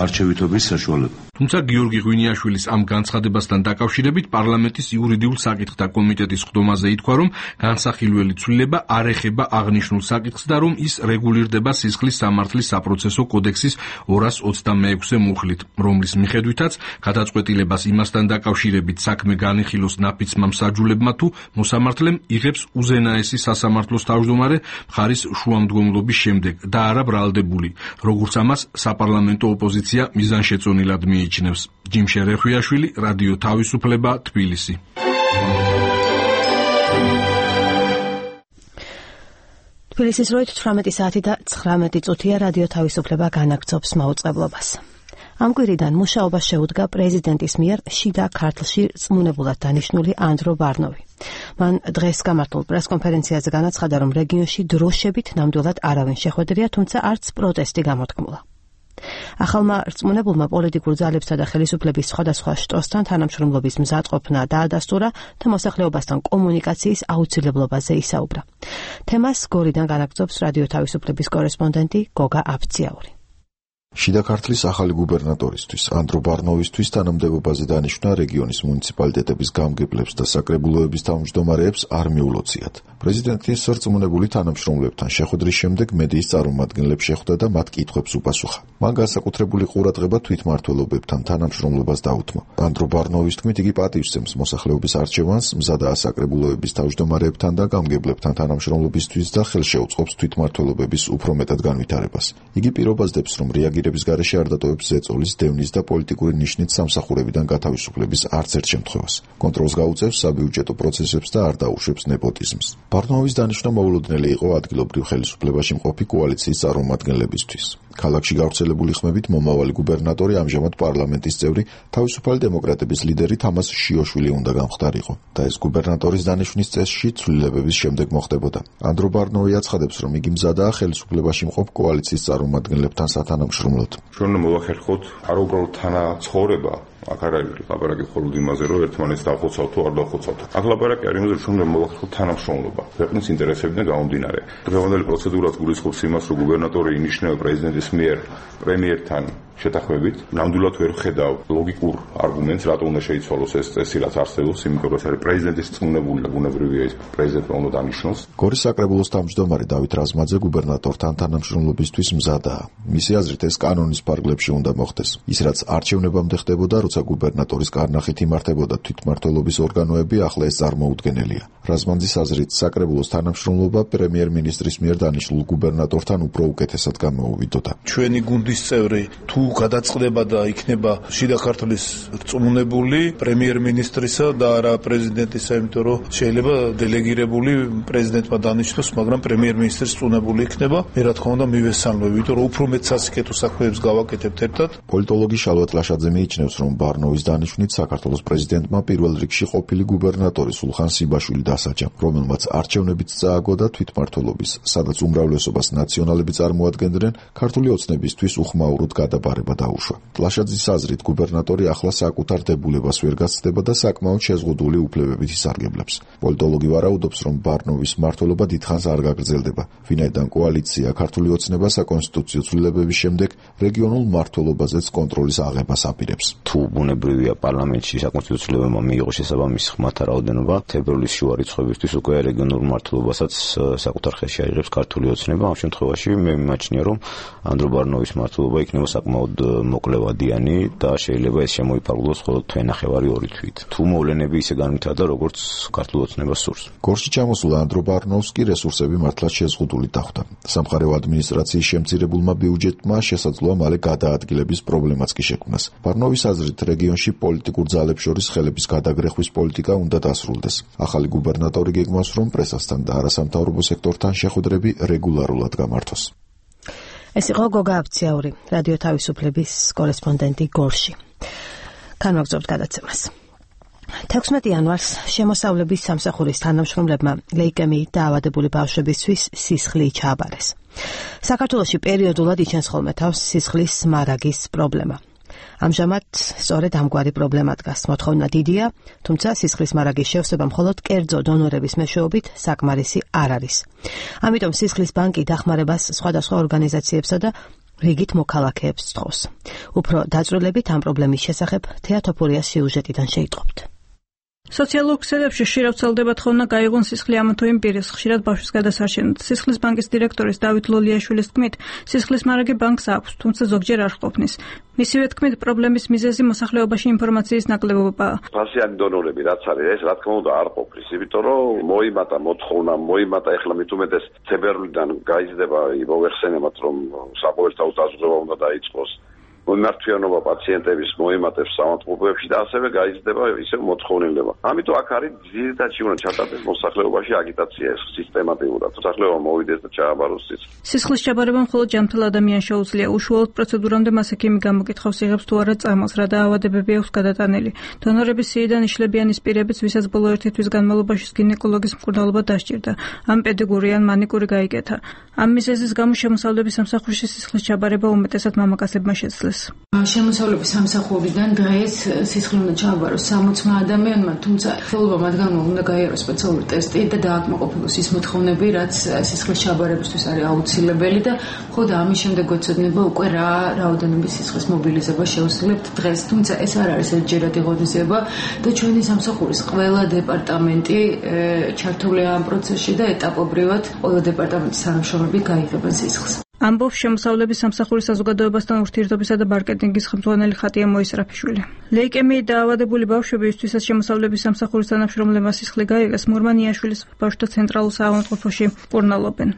არჩევითობის საშუალება. თუმცა გიორგი ღვინიაშვილის ამ განცხადებასთან დაკავშირებით პარლამენტის იურიდიულ საკითხთა კომიტეტის ხდომაზე ითქვა, რომ განსახილველი ცვლილება არ ეხება აღნიშნულ საკითხს და რომ ის რეგულირდება სისხლის სამართლის საპროცესო კოდექსის ორას ოცდამეექვსე მუხლით, რომლის მიხედვითაც გადაწყვეტილებას იმასთან დაკავშირებით საქმე განიხილოს ნაფიცმა მსაჯულებმა თუ მოსამართლემ იღებს უზენაესი სასამართლოს თავმჯდომარე მხარის შუამდგომლობის შემდეგ და არა ბრალდებული, როგორც ამას საპარლამენტო ოპოზიცია მიზანშეწონილად მიიჩნევს. ჯიმშე რეხვიაშვილი, რადიო თავისუფლება, თბილისი. თბილისის დროით თვრამეტი საათი და ცხრამეტი წუთია, რადიო თავისუფლება განაგრძობს მაუწყებლობას. ამ კვირიდან მუშაობას შეუდგა პრეზიდენტის მიერ შიდა ქართლში წმუნებულად დანიშნული ანდრო ბარნოვი. მან დღეს გამართულ პრესკონფერენციაზე განაცხადა, რომ რეგიონში დროშებით ნამდვილად არავინ შეხვედრია, თუმცა არც პროტესტი გამოთქმულა. ახალმა რწმუნებულმა პოლიტიკურ ძალებსა და ხელისუფლების სხვადასხვა შტოსთან თანამშრომლობის მზადყოფნა დაადასტურა და მოსახლეობასთან კომუნიკაციის აუცილებლობაზე ისაუბრა. თემას გორიდან განაგრძობს რადიო თავისუფლების კორესპონდენტი გოგა აბციაური. შიდა ქართლის ახალი გუბერნატორისთვის ანდრო ბარნოვისთვის თანამდებობაზე დანიშნა რეგიონის მუნიციპალიტეტების გამგებლებს და საკრებულოების თავმჯდომარეებს არ მიულოციათ. პრეზიდენტის სარწმუნებული თანამშრომლებთან შეხვედრის შემდეგ მედიის წარმომადგენლებს შეხვდა და მათ კითხვებს უპასუხა. მან განსაკუთრებული ყურადღება თვითმმართველობებთან თანამშრომლობას დაუთმო. ანდრო ბარნოვის თქმით, იგი პატივსცემს მოსახლეობის არჩევანს, მზადაა საკრებულოების თავმჯდომარეებთან და გამგებლებთან თანამშრომლობისთვის და ხელშეუწყობს თვითმმართველობების უფრო მეტად განვითარებას. იგი პირობაზდებს, რომ რეაგირების გარეშე არ დატოვებს ზეწოლის, დევნის და პოლიტიკური ნიშნით სამსახურებიდან გათავისუფლების არც ერთ შემთხვევას. კონტროლს გაუწევს საბიუჯეტო პროცესებს და არ დაუშვებს ნეპოტიზმს. ბარნოვის დანიშვნა მოულოდნელი იყო ადგილობრივ ხელისუფლებაში მყოფი კოალიციის წარმომადგენლებისთვის. ქალაქში გავრცელებული ხმებით მომავალი გუბერნატორი ამჟამად პარლამენტის წევრი თავისუფალი დემოკრატების ლიდერი თამას შიოშვილი უნდა გამხდარიყო და ეს გუბერნატორის დანიშვნის წესში ცვლილებების შემდეგ მოხდებოდა. ანდრო ბარნოვი აცხადებს, რომ იგი მზადაა ხელისუფლებაში მყოფ კოალიციის წარმომადგენლებთან სათანამშრომლოდ. ჩვენ მოვახერხოთ არ უბრალოდ თანაცხოვრება, აქ არ არის ლაპარაკი მხოლოდ იმაზე, რომ ერთმანეთს დავხოცავთ თუ არ დავხოცავთ. აქ ლაპარაკი არის იმაზე, რომ ჩვენ მოვახერხოთ თანამშრომლობა, ქვეყნის ინტერესებიდან გამომდინარე. დღევანდელი პროცედურაც გულისხმობს იმას, რომ გუბერნატორი ინიშნება პრეზიდენტის მიერ პრემიერთან შეთანხმებით. ნამდვილად ვერ ხედავ ლოგიკურ არგუმენტს, რატომ უნდა შეიცვალოს ეს წესი, რაც არსებობს, იმიტომ რომ ეს არის პრეზიდენტის წმუნებული და ბუნებრივია ის პრეზიდენტმა უნდა დანიშნოს. გორის საკრებულოს თავმჯდომარე დავით რაზმაძე გუბერნატორთან თანამშრომლობისთვის მზადაა. მისი აზრით ეს კანონის ფარგლებში უნდა მოხდეს. ის რაც არჩევნებამდე ხდებოდა, როცა გუბერნატორის კარნახით იმართებოდა თვითმმართველობის ორგანოები, ახლა ეს წარმოუდგენელია. რაზმაძის აზრით საკრებულოს თანამშრომლობა პრემიერ-მინისტრის მიერ დანიშნულ გუბერნატორთან უფრო უკეთესად გამოუვიდოდა. ჩვენი გუნდის წევრი თუ გადაწყდება და იქნება შიდა ქართლის რწმუნებული პრემიერ-მინისტრისა და არა პრეზიდენტისა, იმიტომ რომ შეიძლება დელეგირებული პრეზიდენტმა დანიშნოს, მაგრამ პრემიერ-მინისტრის რწმუნებული იქნება. მე რა თქმა უნდა მივესალმები, იმიტომ რომ უფრო მეტ სასიკეთო საქმეებს გავაკეთებთ ერთად. პოლიტოლოგი შალვა ტლაშაძე მიიჩნევს, რომ ბარნოვის დანიშვნით საქართველოს პრეზიდენტმა პირველ რიგში ყოფილი გუბერნატორი სულხან სიბაშვილი დასაჯა, რომელმაც არჩევნებიც წააგო და თვითმმართველობის, სადაც უმრავლესობას ნაციონალები წარმოადგენდნენ, ქართული ოცნებისთვის უხმაუროდ გადაბარება დაუშვა. ტლაშაძის აზრით, გუბერნატორი ახლა საკუთარ დებულებას ვერ გაცდება და საკმაოდ შეზღუდული უფლებებით ისარგებლებს. პოლიტოლოგი ვარაუდობს, რომ ბარნოვის მმართველობა დიდხანს არ გაგრძელდება, ვინაიდან კოალიცია ქართული ოცნება საკონსტიტუციო ცვლილებების შემდეგ რეგიონულ მმართველობაზეც კონტროლის აღებას აპირებს. თუ ბუნებრივია პარლამენტში საკონსტიტუციო ცვლილებებმა მიიღო შესაბამისი ხმათა რაოდენობა, თებერვლის შუა რიცხვებისთვის უკვე რეგიონულ მმართველობასაც საკუთარ ხელში აიღებს ქართული ოცნება. ამ შემთხვევაში მე მიმაჩნია, რომ ანდრო ბარნოვის მმართველობა იქნება საკმაოდ მოკლევადიანი და შეიძლება ეს შემოიფარგლოს მხოლოდ თვენახევარი ორი თვით. თუ მოვლენები ისე განვითარდა, როგორც ქართულ ოცნებას სურს. გორში ჩამოსულ ანდრო ბარნოვს კი რესურსები მართლაც შეზღუდული დახვდა. სამხარეო ადმინისტრაციის შემცირებულმა ბიუჯეტმა შესაძლოა მალე გადაადგილების პრობლემაც კი შექმნას. ბარნოვის აზრით, რეგიონში პოლიტიკურ ძალებს შორის ხელების გადაგრეხვის პოლიტიკა უნდა დასრულდეს. ახალი გუბერნატორი გეგმავს, რომ პრესასთან და არასამთავრობო სექტორთან შეხვედრები რეგულარულად გამართოს. ეს იყო გოგა აბციაური, რადიო თავისუფლების კორესპონდენტი გორში. განვაგრძობთ გადაცემას. თექვსმეტი იანვარს შემოსავლების სამსახურის თანამშრომლებმა ლეიკემიით დაავადებული ბავშვებისთვის სისხლი ჩააბარეს. საქართველოში პერიოდულად იჩენს ხოლმე თავს სისხლის მარაგის პრობლემა. ამჟამად სწორედ ამგვარი პრობლემა დგას. მოთხოვნა დიდია, თუმცა სისხლის მარაგის შევსება მხოლოდ კერძო დონორების მეშვეობით საკმარისი არ არის. ამიტომ სისხლის ბანკი დახმარებას სხვადასხვა ორგანიზაციებსა და რიგით მოქალაქეებს სთხოვს. უფრო დაწვრილებით ამ პრობლემის შესახებ თეატოფორიას სიუჟეტიდან შეიტყობთ. სოციალურ ქსელებში ხშირად ვრცელდება თხოვნა გაიღონ სისხლი ამა თუ იმ პირის, ხშირად ბავშვის გადასარჩენად. სისხლის ბანკის დირექტორის დავით ლოლიაშვილის თქმით, სისხლის მარაგი ბანკს აქვს, თუმცა ზოგჯერ არ ჰყოფნის. მისივე თქმით, პრობლემის მიზეზი მოსახლეობაში ინფორმაციის ნაკლებობაა. ფასიანი დონორები რაც არის, ეს რა თქმა უნდა არ ყოფნის, იმიტომ რომ მოიმატა მოთხოვნა, მოიმატა ეხლა მით უმეტეს თებერვლიდან გაიზრდება მოვეხსენებათ, რომ საყოველთაო დაზრდობა უნდა დაიწყოს. მომმართველობა პაციენტების მოემატებს სამართლებებში და ასევე გაიზრდება ისევ მოთხოვნილება. ამიტომ აქ არის ძირითადად უნდა ჩატარდეს მოსახლეობაში აგიტაცია ეს სისტემატურად. მოსახლეობა მოვიდეს და ჩააბაროს სისხლს. სისხლის ჩაბარება მხოლოდ ჯანმრთელ ადამიანს შეუძლია. უშუალოდ პროცედურამდე მას ექიმი გამოკითხავს, იღებს თუ არა წამალს, რა დაავადებები აქვს გადატანილი. დონორების სიიდან იშლებიან ის პირებიც, ვისაც ბოლო ერთი თვის განმავლობაში გინეკოლოგის მკურნალობა დასჭირდა. ამ პედიგური ან მანიკური გაიკეთა. ამ მიზეზის გამო შემოსავლების სამსახურში სისხლის ჩაბარება უმეტესად მამაკაცებმა შეძლეს. შემოსავლების სამსახურიდან დღეს სისხლი უნდა ჩააბაროს სამოცმა ადამიანმა, თუმცა ხელობა მათგანმა უნდა გაიაროს სპეციალური ტესტი და დააკმაყოფილოს ის მოთხოვნები, რაც სისხლის ჩაბარებისთვის არის აუცილებელი და მხოლოდ ამის შემდეგ გვეცოდინება უკვე რა რაოდენობის სისხლის მობილიზება შევსრულებთ დღეს, თუმცა ეს არ არის ერთჯერადი ღონისძიება და ჩვენი სამსახურის ყველა დეპარტამენტი ჩართულია ამ პროცესში და ეტაპობრივად ყველა დეპარტამენტის თანამშრომლები გაიღებენ სისხლს. ამბობს შემოსავლების სამსახურის საზოგადოებასთან ურთიერთობისა და მარკეტინგის ხელმძღვანელი ხატია მოისრაფიშვილი. ლეიკემიით დაავადებული ბავშვები, ვისთვისაც შემოსავლების სამსახურის თანამშრომლებმა სისხლი გაიღეს, მურმანიაშვილის ბავშვთა ცენტრალურ საავადმყოფოში მკურნალობენ.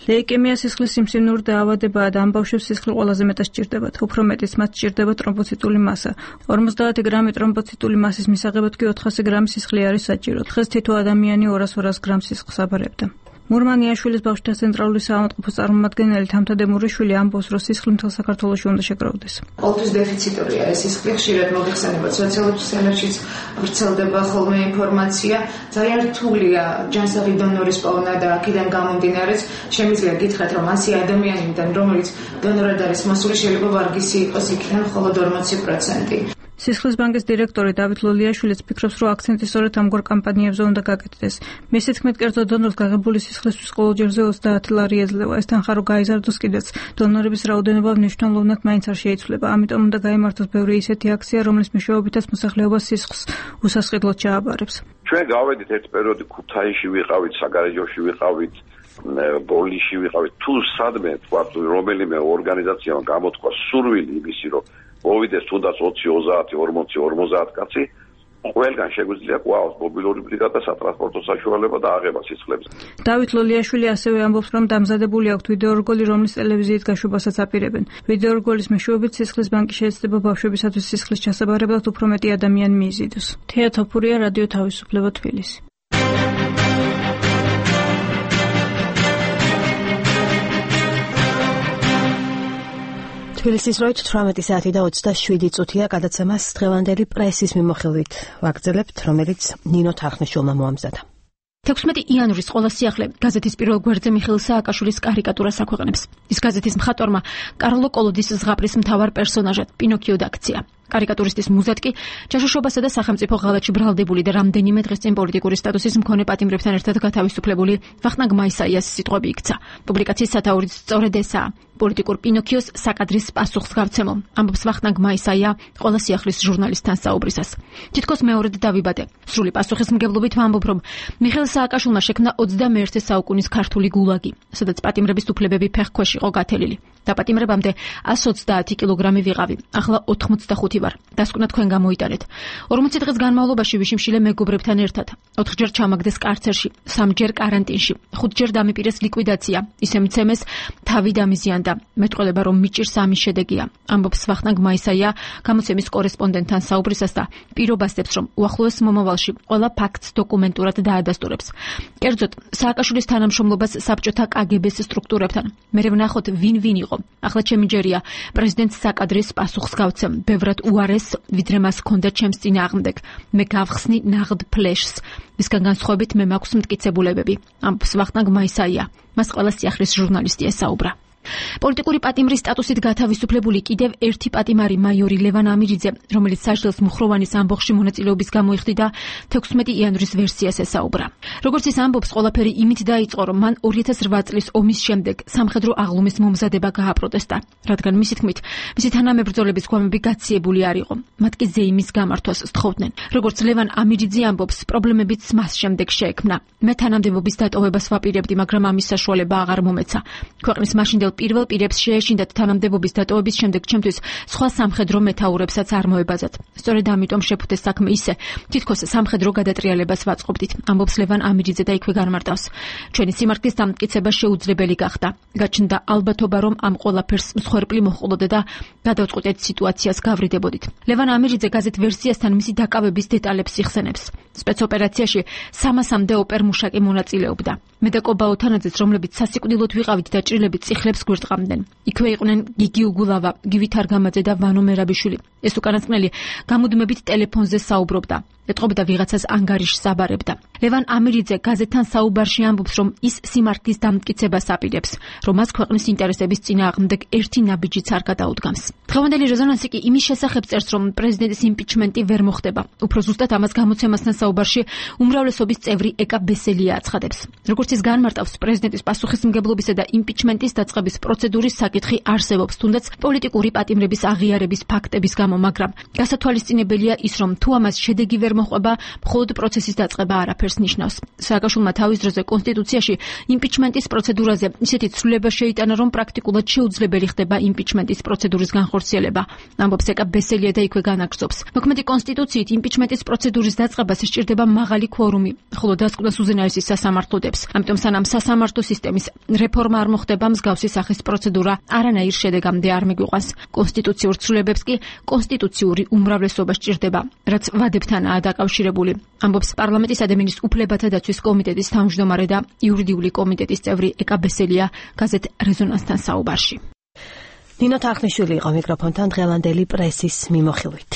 ლეიკემია სისხლის სიმსივნური დაავადებაა და ამ ბავშვებს სისხლი ყველაზე მეტად სჭირდებათ. უფრო მეტიც მათ სჭირდება ტრომბოციტული მასა. ორმოცდაათი გრამი ტრომბოციტული მასის მისაღებად კი ოთხასი გრამი სისხლი არის საჭირო. დღეს თითო ადამიანი ორას ორას გრამს სისხლს აბარებდა. მურმანიაშვილის ბავშვთა ცენტრალური საავადმყოფოს წარმომადგენელი თამთადემურიშვილი ამბობს, რომ სისხლი მთელ საქართველოში უნდა შეგროვდეს. ყოველთვის დეფიციტორია ეს სისხლი, ხშირად მოგეხსენებათ სოციალურ ქსელებშიც ვრცელდება ხოლმე ინფორმაცია. ძალიან რთულია ჯანსაღი დონორის პოვნა და აქედან გამომდინარეც შემიძლია გითხრათ, რომ ასი ადამიანიდან, რომელიც დონორად არის მოსული, შეიძლება ვარგისი იყოს იქიდან მხოლოდ ორმოცი პროცენტი. სისხლის ბანკის დირექტორი დავით ლოლიაშვილიც ფიქრობს, რომ აქცენტი სწორედ ამგვარ კამპანიებზე უნდა გაკეთდეს. მისი თქმით, კერძო დონორს გაღებული სისხლისთვის ყოველ ჯერზე ოცდაათი ლარი ეძლევა. ეს თანხა რო გაიზარდოს კიდეც, დონორების რაოდენობა მნიშვნელოვნად მაინც არ შეიცვლება. ამიტომ უნდა გაიმართოს ბევრი ისეთი აქცია, რომლის მეშვეობითაც მოსახლეობა სისხლს უსასყიდლოდ ჩააბარებს. ჩვენ გავედით ერთ პერიოდი ქუთაისში ვიყავით, საგარეჯოში ვიყავით, ბოლიში ვიყავით. თუ სადმე თქვა რომელიმე ორგანიზაციამ გამოთქვა სურვილი იმისი, რომ მოვიდეს თუნდაც ოცი, ოცდაათი, ორმოცი, ორმოცდაათი კაცი, ყველგან შეგვიძლია ყვაოს მობილური ბრიგადა, სატრანსპორტო საშუალება და აღება სისხლებზე. დავით ლოლიაშვილი ასევე ამბობს, რომ დამზადებული აქვთ ვიდეორგოლი, რომლის ტელევიზიით გაშვებასაც აპირებენ. ვიდეორგოლის მეშვეობით სისხლის ბანკი შეეცდება ბავშვებისათვის სისხლის ჩასაბარებლად უფრო მეტი ადამიანი მიიზიდოს. თეა თოფურია, რადიო თავისუფლება, თბილისი. თბილისის დროით თვრამეტი საათი და ოცდაშვიდი წუთია. გადაცემას დღევანდელი პრესის მიმოხილვით ვაგრძელებთ, რომელიც ნინო თარხნიშვილმა მოამზადა. თექვსმეტი იანვრის ყველა სიახლე გაზეთის პირველ გვერდზე მიხეილ სააკაშვილის კარიკატურას აქვეყნებს. ის გაზეთის მხატვარმა კარლო კოლოდის ზღაპრის მთავარ პერსონაჟად პინოქიო დაქცია. კარიკატურისტის მუზად კი ჯაშუშობასა და სახელმწიფო ღალატში ბრალდებული და რამდენიმე დღის წინ პოლიტიკური სტატუსის მქონე პატიმრებთან ერთად გათავისუფლებული ვახტანგ მაისაიას სიტყვები იქცა. პუბლიკაციის სათაურიც სწორედ ესაა. პოლიტიკურ პინოქიოს საკადრის პასუხს გავცემო, ამბობს ვახტანგ მაისაია ყველა სიახლის ჟურნალისტთან საუბრისას. თითქოს მეორედ დავიბადე. სრული პასუხისმგებლობით ვამბობ, რომ მიხეილ სააკაშვილმა შექმნა ოცდამეერთე საუკუნის ქართული გულაგი, სადაც პატიმრების უფლებები ფეხქვეშ იყო გათელილი. დაპატიმრებამდე ასი ოცდაათი კილოგრამი ვიყავი, ახლა ოთხმოცდახუთი ვარ. დასკვნა თქვენ გამოიტანეთ. ორმოცი დღის განმავლობაში ვიშიმშილე მეგობრებთან ერთად. ოთხჯერ ჩამაგდეს კარცერში, სამჯერ კარანტინში, ხუთჯერ დამიპირეს ლიკვიდაცია, ისე მცემეს თავი დამიზიანდა. მეტყველება რომ მიჭირს ამის შედეგია, ამბობს ვახტანგ მაისაია გამოცემის კორესპონდენტთან საუბრისას და პირობასდებს, რომ უახლოეს მომავალში ყველა ფაქტს დოკუმენტურად დაადასტურებს. კერძოდ, სააკაშვილის თანამშრომლობას საბჭოთა კაგებეს სტრუქტურებთან. მე ვნახოთ ვინ ვინ იყო. ახლა ჩემი ჯერია პრეზიდენტ საკადრის პასუხს გავცემ, ბევრად უარეს, ვიდრე მას ჰქონდა ჩემს წინააღმდეგ. მე გავხსნი ნაღდ ფლეშს. მისგან განსხვავებით მე მაქვს მტკიცებულებები, ამბობს ვახტანგ მაისაია. მას ყველა სიახლის ჟურნალისტი ესაუბრა. პოლიტიკური პატიმრის სტატუსით გათავისუფლებული კიდევ ერთი პატიმარი მაიორი ლევან ამირიძე, რომელიც საჯდელს მუხროვანის ამბოხში მონაწილეობის გამო იხდიდა, თექვსმეტი იანვრის ვერსიას ესაუბრა. როგორც ის ამბობს, ყველაფერი იმით დაიწყო, რომ მან ორი ათას რვა წლის ომის შემდეგ სამხედრო აღლუმის მომზადება გააპროტესტა, რადგან მისი თქმით, მისი თანამებრძოლების გვამები გაციებული არ იყო. მათ კი ზეიმის გამართვას სთხოვდნენ. როგორც ლევან ამირიძე ამბობს, პრობლემებიც მას შემდეგ შეექმნა. მე თანამდებობის დატოვებას ვაპირებდი, მაგრამ ამის საშუალება აღარ მომეცა. ქვეყნის მაშინდელ პირველ პირებს შეეშინდათ თანამდებობის დატოვების შემდეგ ჩემთვის სხვა სამხედრო მეთაურებსაც არ მოებაზათ. სწორედ ამიტომ შეფუთეს საქმე ისე, თითქოს სამხედრო გადატრიალებას ვაწყობდით, ამბობს ლევან ამირიძე და იქვე განმარტავს. ჩვენი სიმართლის დამტკიცება შეუძლებელი გახდა. გაჩნდა ალბათობა, რომ ამ ყველაფერს მსხვერპლი მოჰყოლოდა და გადავწყვეტეთ სიტუაციას გავრიდებოდით. ლევან ამირიძე გაზეთ ვერსიასთან მისი დაკავების დეტალებს იხსენებს. სპეცოპერაციაში სამასამდე ოპერმუშაკი მონაწილეობდა. მე და კობა ოთანაძეც, რომლებიც სასიკვდილოდ ვიყავით და ჭრილებით წიხლებს გვერდყამდნენ. იქვე იყვნენ გიგი უგულავა, გივი თარგამაძე და ვანო მერაბიშვილი. ეს უკანასკნელი გამუდმებით ტელეფონზე საუბრობდა. ეტყობოდა ვიღაცას ანგარიშს აბარებდა. ლევან ამირიძე გაზეთთან საუბარში ამბობს, რომ ის სიმართლის დამტკიცებას აპირებს, რომ მას ქვეყნის ინტერესების წინააღმდეგ ერთი ნაბიჯიც არ გადაუდგამს. დღევანდელი რეზონანსი კი იმის შესახებ წერს, რომ პრეზიდენტის იმპიჩმენტი ვერ მოხდება. უფრო ზუსტად ამას გამოცემასთან საუბარში უმრავლესობის წევრი ეკა ბესელია აცხადებს. როგორც ის განმარტავს, პრეზიდენტის პასუხისმგებლობისა და იმპიჩმენტის დაწყების პროცედურის საკითხი არსებობს, თუნდაც პოლიტიკური პატიმრების აღიარების ფაქტების გამო, მაგრამ გასათვალისწინებელია ის, რომ თუ ამას შედეგი ვერ მოხვება, მხოლოდ პროცესის დაწყება არაფერს ნიშნავს. სააკაშვილმა თავის დროზე კონსტიტუციაში იმპიჩმენტის პროცედურაზე ისეთი ცვლილება შეიტანა, რომ პრაქტიკულად შეუძლებელი ხდება იმპიჩმენტის პროცედურის განხორციელება. ამბობს ეკა ბესელია და იქვე განაგრძობს. მოქმედი კონსტიტუციით იმპიჩმენტის პროცედურის დაწყებას სჭირდება მაღალი კვორუმი, ხოლო დასკვნას უზენაესი სასამართლო დებს. ამიტომ სანამ სასამართლო სისტემის რეფორმა არ მოხდება, მსგავსი სახის პროცედურა არანაირ შედეგამდე არ მიგვიყვანს. კონსტიტუციურ ცვლილებებს კი კონსტიტუციური უმრავლესობა სჭირდება, რაც ვადებთანაა დაკავშირებული. ამბობს პარლამენტის ადამიანის უფლებათა დაცვის კომიტეტის თავმჯდომარე და იურიდიული კომიტეტის წევრი ეკა ბესელია გაზეთ რეზონანსთან საუბარში. ნინო თახნიშვილი იყო მიკროფონთან დღევანდელი პრესის მიმოხილვით.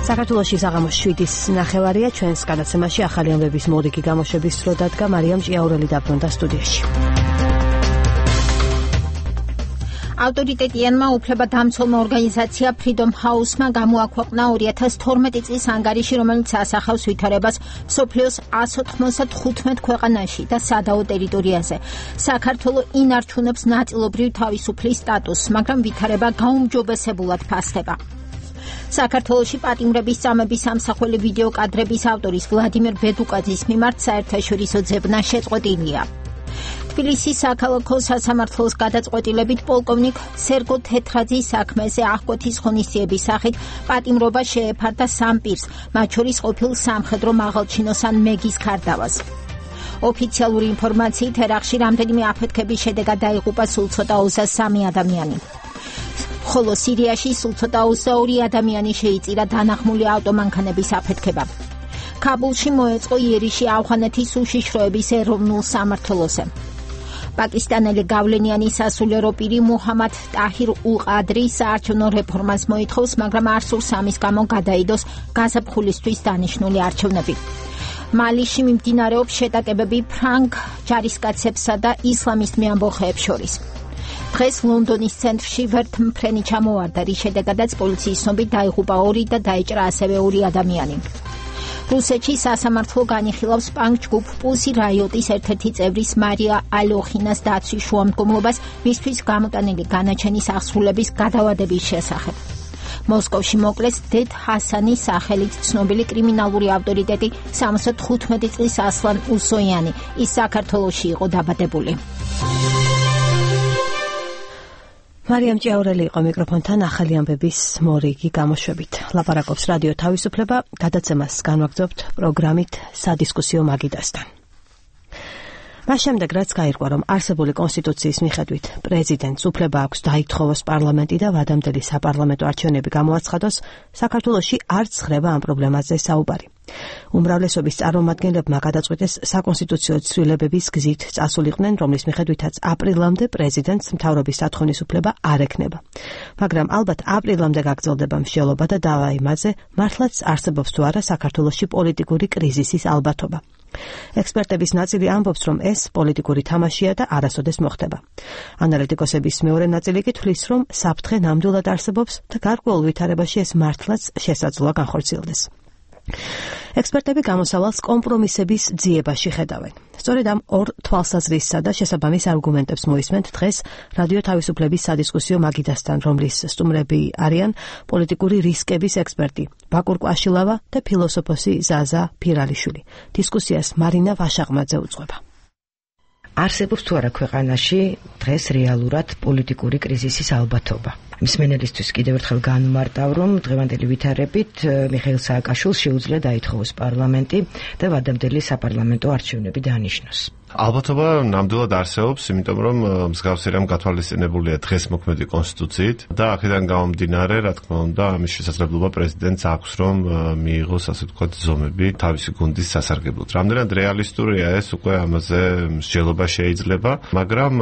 საქართველოში საღამოს შვიდის ნახევარია, ჩვენს გადაცემაში ახალი ამბების მორიგი გამოშვების დრო დადგა. მარიამ ჭიაურელი დაბრუნდა სტუდიაში. ავტორიტეტიანმა უფლებადამცველმა ორგანიზაცია Freedom House-მა გამოაქვეყნა ორი ათას თორმეტი წლის ანგარიში, რომელიც ასახავს ვითარებას მსოფლიოს εκατს ოთხმოცდახუთ ქვეყანაში და სადაო ტერიტორიაზე. საქართველო ინარჩუნებს ნაწილობრივ თავისუფლის სტატუსს, მაგრამ ვითარება გაუმჯობესებულად ფასდება. საქართველოში პატიმრების წამების ამსახველი ვიდეო კადრების ავტორის ვლადიმერ ბედუკაძის მიმართ საერთაშორისო ძებნა შეწყვეტილია. თბილისის საქალაქო სასამართლოს გადაწყვეტილებით პოლკოვნიკ სერგო თეთრაძის საქმეზე აღკვეთის ღონისძიების სახით პატიმრობა შეეფარდა სამ პირს, მათ შორის ყოფილ სამხედრო მაღალჩინოსან მეგის ქარდავას. ოფიციალური ინფორმაციით ერაყში რამდენიმე აფეთქების შედეგად დაიღუპა სულ ცოტა ოცდაორი სამი ადამიანი. ხოლო სირიაში სულ ცოტა ოცდაორი ადამიანი შეიწირა დანახმული ავტომანქანების აფეთქება. ქაბულში მოეწყო იერიში ავღანეთის უშიშროების ეროვნულ სამმართველოზე. პაკისტანელი გავლენიანი სასულიერო პირი მუჰამად ტაჰირ ულ-ყადრი საარჩევნო რეფორმას მოითხოვს, მაგრამ არ სურს ამის გამო გადაიდოს გაზაფხულისთვის დანიშნული არჩევნები. მალიში მიმდინარეობს შეტაკებები ფრანგ ჯარისკაცებსა და ისლამისტ მეამბოხეებს შორის. დღეს ლონდონის ცენტრში ვერთმფრენი ჩამოვარდა, რის შედეგადაც პოლიციის ცნობით დაიღუპა ორი და დაიჭრა ასევე ორი ადამიანი. რუსეთში სასამართლო განიხილავს პანკ-ჯგუფ პულსი რაიოტის ერთ-ერთი წევრის მარია ალოხინას დაცვის შუამდგომლობას მისთვის გამოტანილი განაჩენის აღსრულების გადავადების შესახებ. მოსკოვში მოკლეს დედ ჰასანის სახელით ცნობილი კრიმინალური ავტორიტეტი სამოცდახუთმეტი წლის ასლან უსოიანი. ის საქართველოში იყო დაბადებული. მარიამ ჭიაურელი იყო მიკროფონთან ახალი ამბების მორიგი გამოშვებით. ლაპარაკობს რადიო თავისუფლება, გადაცემას განვაგრძობთ პროგრამით სადისკუსიო მაგიდასთან. მას შემდეგ რაც გაირკვა, რომ არსებული კონსტიტუციის მიხედვით პრეზიდენტს უფლება აქვს დაითხოვოს პარლამენტი და ვადამდელი საპარლამენტო არჩევნები გამოაცხადოს, საქართველოში არც ხრება ამ პრობლემაზე საუბარი. უმრავლესობის წარმომადგენლებმა გადაწყვეტეს საკონსტიტუციო ცვლილებების გზით წასულიყვნენ, რომლის მიხედვითაც აპრილამდე პრეზიდენტს მთავრობის დათხოვნის უფლება არ ექნება. მაგრამ ალბათ აპრილამდე გაგრძელდება მსჯელობა და დავა იმაზე, მართლაც არსებობს თუ არა საქართველოში პოლიტიკური კრიზისის ალბათობა. ექსპერტების ნაწილი ამბობს, რომ ეს პოლიტიკური თამაშია და არასოდეს მოხდება. ანალიტიკოსების მეორე ნაწილი კი თვლის, რომ საფრთხე ნამდვილად არსებობს და გარკვეულ ვითარებაში ეს მართლაც შესაძლოა განხორციელდეს. ექსპერტები გამოსავალს კომპრომისების ძიებაში ხედავენ. სწორედ ამ ორ თვალსაზრისსა და შესაბამის არგუმენტებს მოისმენთ დღეს რადიო თავისუფლების სადისკუსიო მაგიდასთან, რომლის სტუმრები არიან პოლიტიკური რისკების ექსპერტი ბაკურ კვაშილავა და ფილოსოფოსი ზაზა ფირალიშვილი. დისკუსიას მარინა ვაშაღმაძე უძღვება. არსებობს თუ არა ქვეყანაში დღეს რეალურად პოლიტიკური კრიზისის ალბათობა. მსმენელისთვის კიდევ ერთხელ განმარტავ, რომ დღევანდელი ვითარებით მიხეილ სააკაშვილს შეუძლია დაითხოვოს პარლამენტი და ვადამდელი საპარლამენტო არჩევნები დანიშნოს. ალბათობა ნამდვილად არსებობს, იმიტომ რომ მსგავსი რამ გათვალისწინებულია დღეს მოქმედი კონსტიტუციით და აქედან გამომდინარე, რა თქმა უნდა, ამის შესაძლებლობა პრეზიდენტს აქვს, რომ მიიღოს, ასე ვთქვათ, ზომები თავისი გუნდის სასარგებლოდ. რამდენად რეალისტურია ეს, უკვე ამაზე მსჯელობა შეიძლება, მაგრამ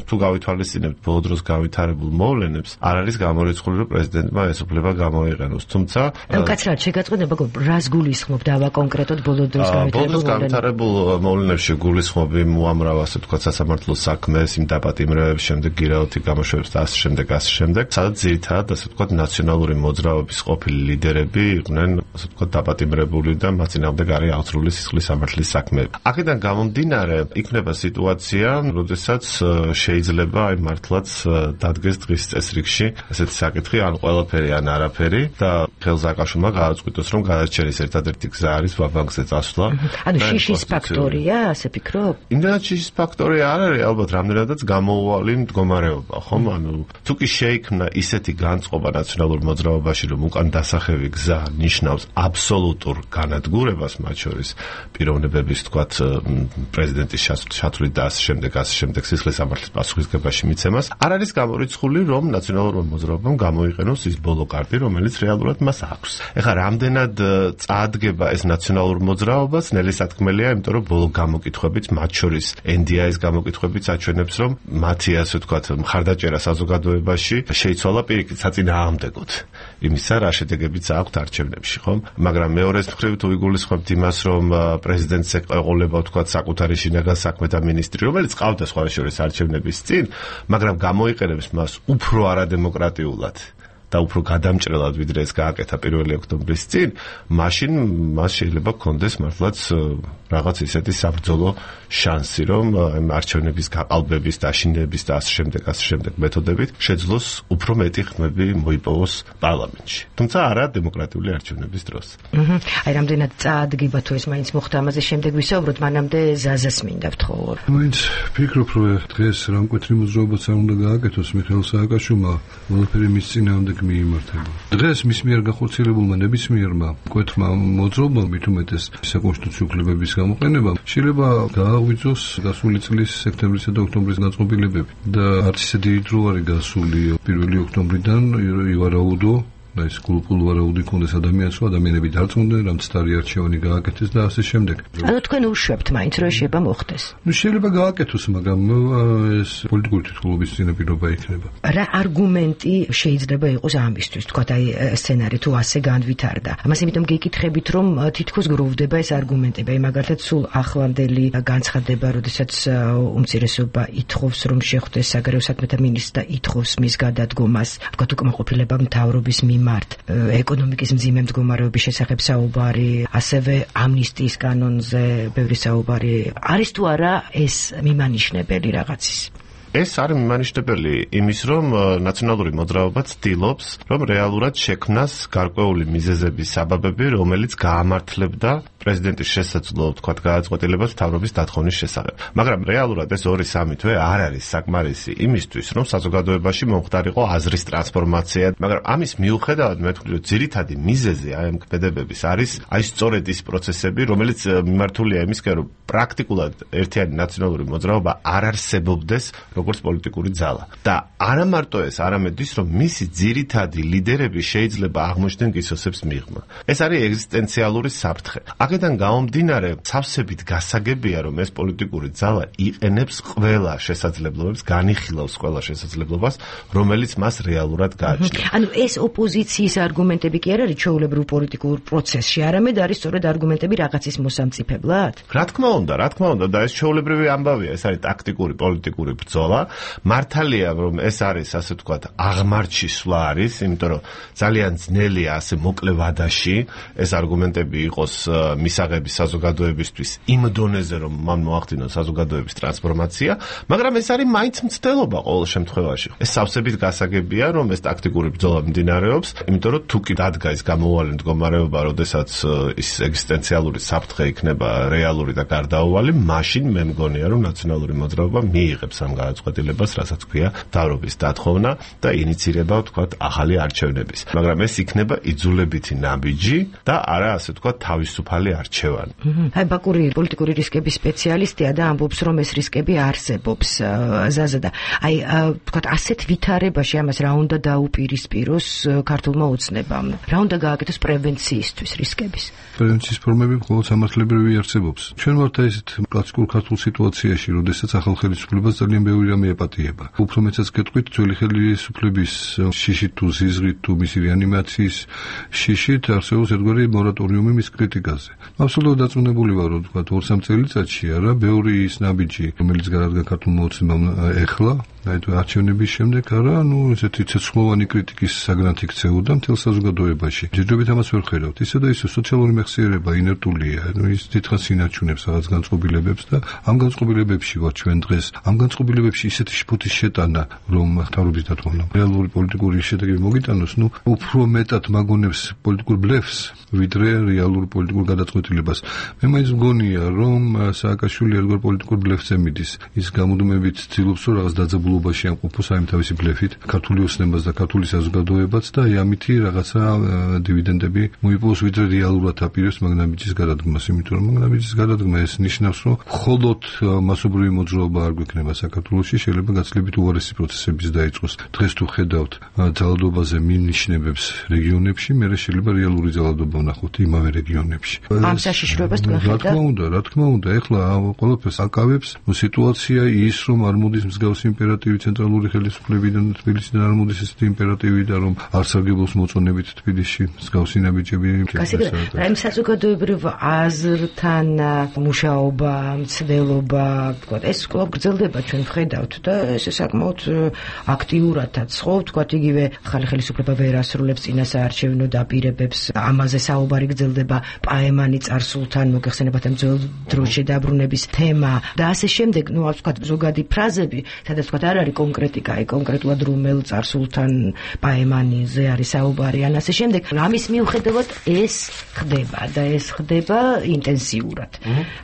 თუ გავითვალისწინებთ ბოლო დროს გავითარებულ მოვლენებს, არ არის გამორიცხული, რომ პრეზიდენტმა ეს უფლება გამოიყენოს. თუმცა, კაცრად შეგაწყვეტება, რას გულისხმობ დავა კონკრეტულად ბოლო დროს გავითარებულ მოვლენებში გულისხმობ მოამრავ, ასე ვთქვათ, სასამართლო საქმეს, იმ დაპატიმრებების შემდეგ გირაოთი გამოშვებს და ასე შემდეგ, ასე შემდეგ, სადაც ძირითადად, ასე ვთქვათ, ნაციონალური მოძრაობის ყოფილი ლიდერები იყვნენ, ასე ვთქვათ, დაპატიმრებული და მათ წინააღმდეგ არის აღძრული სისხლის სამართლის საქმეები. აქედან გამომდინარე, იქნება სიტუაცია, როდესაც შეიძლება აი მართლაც დადგეს დღის წესრიგში ესეთი საკითხი, ან ყველაფერი, ან არაფერი და ხელზაკაშვილმა გააწყვიტოს, რომ გადაჭერის ერთადერთი გზა არის ვაბანკზე წასვლა. ანუ შიშის ფაქტორია, ასე ფიქრობ? იმდენად შიშის ფაქტორი არ არის, ალბათ რამდენადაც გამოუვალი მდგომარეობა, ხომ? ანუ თუ კი შეიქმნა ისეთი განწყობა ნაციონალურ მოძრაობაში, რომ უკან დასახევი გზა ნიშნავს აბსოლუტურ განადგურებას, მათ შორის პიროვნებების, თქვათ, პრეზიდენტის შათვლით და ასე შემდეგ, ასე შემდეგ სისხლის სამართლის პასუხისგებაში მიცემას, არ არის გამორიცხული, რომ ნაციონალურმა მოძრაობამ გამოიყენოს ის ბოლო კარტი, რომელიც რეალურად მას აქვს. ეხლა რამდენად წაადგება ეს ნაციონალურ მოძრაობას, ნელი სათქმელია, იმიტომ რომ ბოლო გამოკითხვებით, მათ შორის ენ დი აის გამოკითხვებით აჩვენებს, რომ მათი, ასე ვთქვათ, მხარდაჭერა საზოგადოებაში შეიცვალა პირიქით საწინააღმდეგოდ იმისა, რა შედეგებიც აქვთ არჩევნებში, ხომ? მაგრამ მეორეს მხრივ თუ იგულისხმებთ იმას, რომ პრეზიდენტს ეყოლებოდა, ვთქვათ, საკუთარი შინაგან საქმეთა მინისტრი, რომელიც ყავდა სხვა შორის არჩევნების წინ, მაგრამ გამოიყენებს მას უფრო არადემოკრატიულად და უფრო გადამჭრელად, ვიდრე ეს გააკეთა პირველი ოქტომბრის წინ, მაშინ მას შეიძლება გქონდეს მართლაც რაღაც ისეთი საბრძოლო შანსი, რომ არჩევნების გაყალბების, დაშინების და ასე შემდეგ, ასე შემდეგ მეთოდებით შეძლოს უფრო მეტი ხმები მოიპოვოს პარლამენტში. თუმცა არა დემოკრატიული არჩევნების დროს. აი, რამდენად წაადგება თუ ეს მაინც მოხდა, ამაზე შემდეგ ვისაუბროთ, მანამდე ზაზას მინდა ვთხოვო. მაინც ფიქრობ, რომ დღეს რამკვეთრი მოძრაობაც არ უნდა გააკეთოს მიხეილ სააკაშვილმა, ყველაფერი მის წინააღმდეგ მიიმართება. დღეს მის მიერ განხორციელებულმა ნებისმიერმა მკვეთრმა მოძრაობამ მით უმეტეს საკონსტიტუციო უფლებების გამოყენება შეიძლება გააღვიძოს გასული წლის სექტემბრისა და ოქტომბრის დაწყობილებები და არც ისე დიდი დრო არის გასული პირველი ოქტომბრიდან ივარაუდო და ეს გულპულ ვარაუდი კონდეს ადამიანს, რომ ადამიანები დარწმუნდნენ, რომ ცდარი არჩევანი გააკეთეს და ასე შემდეგ. ანუ თქვენ უშვებთ მაინც რომ შეიძლება მოხდეს. ნუ შეიძლება გააკეთოს, მაგრამ ეს პოლიტიკური თვითმფრინავის წინაპირობა იქნება. რა არგუმენტი შეიძლება იყოს ამისთვის, თქვა აი სცენარი თუ ასე განვითარდა. ამას იმიტომ გეკითხებით, რომ თითქოს გროვდება ეს არგუმენტები, აი მაგალითად სულ ახლანდელი განცხადება, როდესაც უმცირესობა ითხოვს, რომ შეხვდეს საგარეო საქმეთა მინისტრს და ითხოვს მის გადადგომას, თქვა უკმაყოფილება მთავრობის მიმართ, ეკონომიკის მძიმე მდგომარეობის შესახებ საუბარი, ასევე ამნისტიის კანონზე ბევრი საუბარი. არის თუ არა ეს მიმანიშნებელი რაღაცის? ეს არის მიმანიშნებელი იმის, რომ ნაციონალური მოძრაობა ცდილობს, რომ რეალურად შექმნას გარკვეული მიზეზების საბაბები, რომელიც გაამართლებდა პრეზიდენტის შესაძლო, თქვათ, გადაწყვეტილებას მთავრობის დათხოვნის შესახებ. მაგრამ რეალურად ეს ორი სამი თვე არ არის საკმარისი იმისთვის, რომ საზოგადოებაში მომხდარიყო აზრის ტრანსფორმაცია. მაგრამ ამის მიუხედავად მე ვთქვი, რომ ძირითადი მიზეზი აი ამ ქმედებების არის აი სწორედ ის პროცესები, რომელიც მიმართულია იმისკენ, რომ პრაქტიკულად ერთიანი ნაციონალური მოძრაობა არ არსებობდეს როგორც პოლიტიკური ძალა. და არა მარტო ეს, არამედ ის, რომ მისი ძირითადი ლიდერები შეიძლება აღმოჩნდნენ გისოსებს მიღმა. ეს არის ეგზისტენციალური საფრთხე. აქედან გამომდინარე, სავსებით გასაგებია, რომ ეს პოლიტიკური ძალა იყენებს ყველა შესაძლებლობებს, განიხილავს ყველა შესაძლებლობას, რომელიც მას რეალურად გააჩნია. ანუ ეს ოპოზიციის არგუმენტები კი არ არის ჩვეულებრივ პოლიტიკურ პროცესში, არამედ არის სწორედ არგუმენტები რაღაცის მოსამწიფებლად? რა თქმა უნდა, რა თქმა უნდა, და ეს ჩვეულებრივი ამბავია, ეს არის ტაქტიკური პოლიტიკური ბრძოლა. მართალია, რომ ეს არის, ასე ვთქვათ, აღმართში სვლა არის, იმიტომ რომ ძალიან ძნელია ასე მოკლე ვადაში ეს არგუმენტები იყოს მისაღების საზოგადოებისთვის იმ დონეზე, რომ მან მოახდინოს საზოგადოების ტრანსფორმაცია, მაგრამ ეს არის მაინც მცდელობა ყოველ შემთხვევაში. ეს სავსებით გასაგებია, რომ ეს ტაქტიკური ბრძოლა მიმდინარეობს, იმიტომ რომ თუ კი დადგა ის გამოუვალი მდგომარეობა, როდესაც ის ეგზისტენციალური საფრთხე იქნება რეალური და გარდაუვალი, მაშინ მე მგონია, რომ ნაციონალური მოძრაობა მიიღებს ამ გადაწყვეტილებას, რასაც ქვია მთავრობის დათხოვნა და ინიცირება, ვთქვათ, ახალი არჩევნების. მაგრამ ეს იქნება იძულებითი ნაბიჯი და არა, ასე ვთქვათ, თავისუფალი არჩევანი. აი ბაკური პოლიტიკური რისკების სპეციალისტია და ამბობს, რომ ეს რისკები არსებობს. ზაზა და აი ვთქვათ, ასეთ ვითარებაში ამას რა უნდა დაუპირისპიროს ქართულმა ოცნებამ? რა უნდა გააკეთოს პრევენციისთვის რისკების? პრევენციის ფორმები მხოლოდ სამართლებრივი არსებობს. ჩვენ ვართ ესეთ კლასიკურ ქართულ სიტუაციაში, როდესაც ახალ ხელისუფლებას ძალიან ბევრი რამე ეპატიება. უფრო მეცაც გეტყვით, ძველი ხელისუფლების შიშით თუ ზიზღით თუ მისი რეანიმაციის შიშით არსებობს ერთგვარი მორატორიუმი მის კრიტიკაზე. აბსოლუტურად დარწმუნებული ვარ, რომ ვთქვათ, ორ-სამ წელიწადში არა, ბევრი ის ნაბიჯი, რომელიც გარადგა ქართულმა ოცნებამ ეხლა, აი თუ არჩევნების შემდეგ არა, ну ესეთი ცეცხლოვანი კრიტიკის საგნად იქცეოდა მთელ საზოგადოებაში. ჯერჯერობით ამას ვერ ხედავთ. ისე და ისე სოციალური მეხსიერება ინერტულია, ну ის დიდხანს ინარჩუნებს რაღაც განწყობილებებს და ამ განწყობილებებში ვარ ჩვენ დღეს. ამ განწყობილებებში ისეთი შფოთის შეტანა, რომ მთავრობის დათვალიერება რეალური პოლიტიკური შედეგები მოგიტანოს, ну უფრო მეტად მაგონებს პოლიტიკურ ბლეფს, ვიდრე რეალურ პოლიტიკურ გადაწყვეტილებას. მე მაინც მგონია, რომ სააკაშვილი ერთგვარ პოლიტიკურ ბლეფზე მიდის. ის გამუდმებით ცდილობს რომ რაღაც დაძაბულობაში ამყოფოს აი თავისი ბლეფით ქართული ოცნებას და ქართული საზოგადოებაც და აი ამითი რაღაცა დივიდენდები მოიპოვოს, ვიდრე რეალურად აპირებს მაგნაბიჯის გადადგმას, იმიტომ რომ მაგნაბიჯის გადადგმა ეს ნიშნავს, რომ მხოლოდ მასობრივი მოძრაობა არ გვექნება საქართველოში, შეიძლება გაცილებით უარესი პროცესების დაიწყოს. დღეს თუ ხედავთ ძალადობაზე მინიშნებებს რეგიონებში, მერე შეიძლება რეალური ძალადობა ვნახოთ იმავე რეგიონებში. ამ საშიშროებას თქვენ ხედავთ? რა თქმა უნდა, რა თქმა უნდა, ეხლა ყველაფერს აკავებს სიტუაცია ის, რომ არ მოდის მსგავსი იმპერატივი ცენტრალური ხელისუფლებიდან თბილისიდან, არ მოდის ესეთი იმპერატივი და რომ არ სარგებლობს მოწონებით თბილისში მსგავსი ნაბიჯები. რა იმ საზოგადოებრივ აზრთან მუშაობა, მცდელობა, ვთქვათ, ეს კვლავ გრძელდება, ჩვენ ვხედავთ და ეს საკმაოდ აქტიურადაც ხო, ვთქვათ, იგივე ახალი ხელისუფლება ვერ ასრულებს წინასაარჩევნო დაპირებებს, ამაზე საუბარი გრძელდება, პაემანი წარსულთან მოგეხსენებათ ამ ძველ დროში დაბრუნების თემა და ასე შემდეგ, ну, ვთქვათ, ზოგადი ფრაზები, სადაც ვთქვათ, არ არის კონკრეტიკა, აი კონკრეტულად რომელ წარსულთან პაემანიზე არის საუბარი, ან ასე შემდეგ. ამის მიუხედავად ეს ხდება და ეს ხდება ინტენსიურად.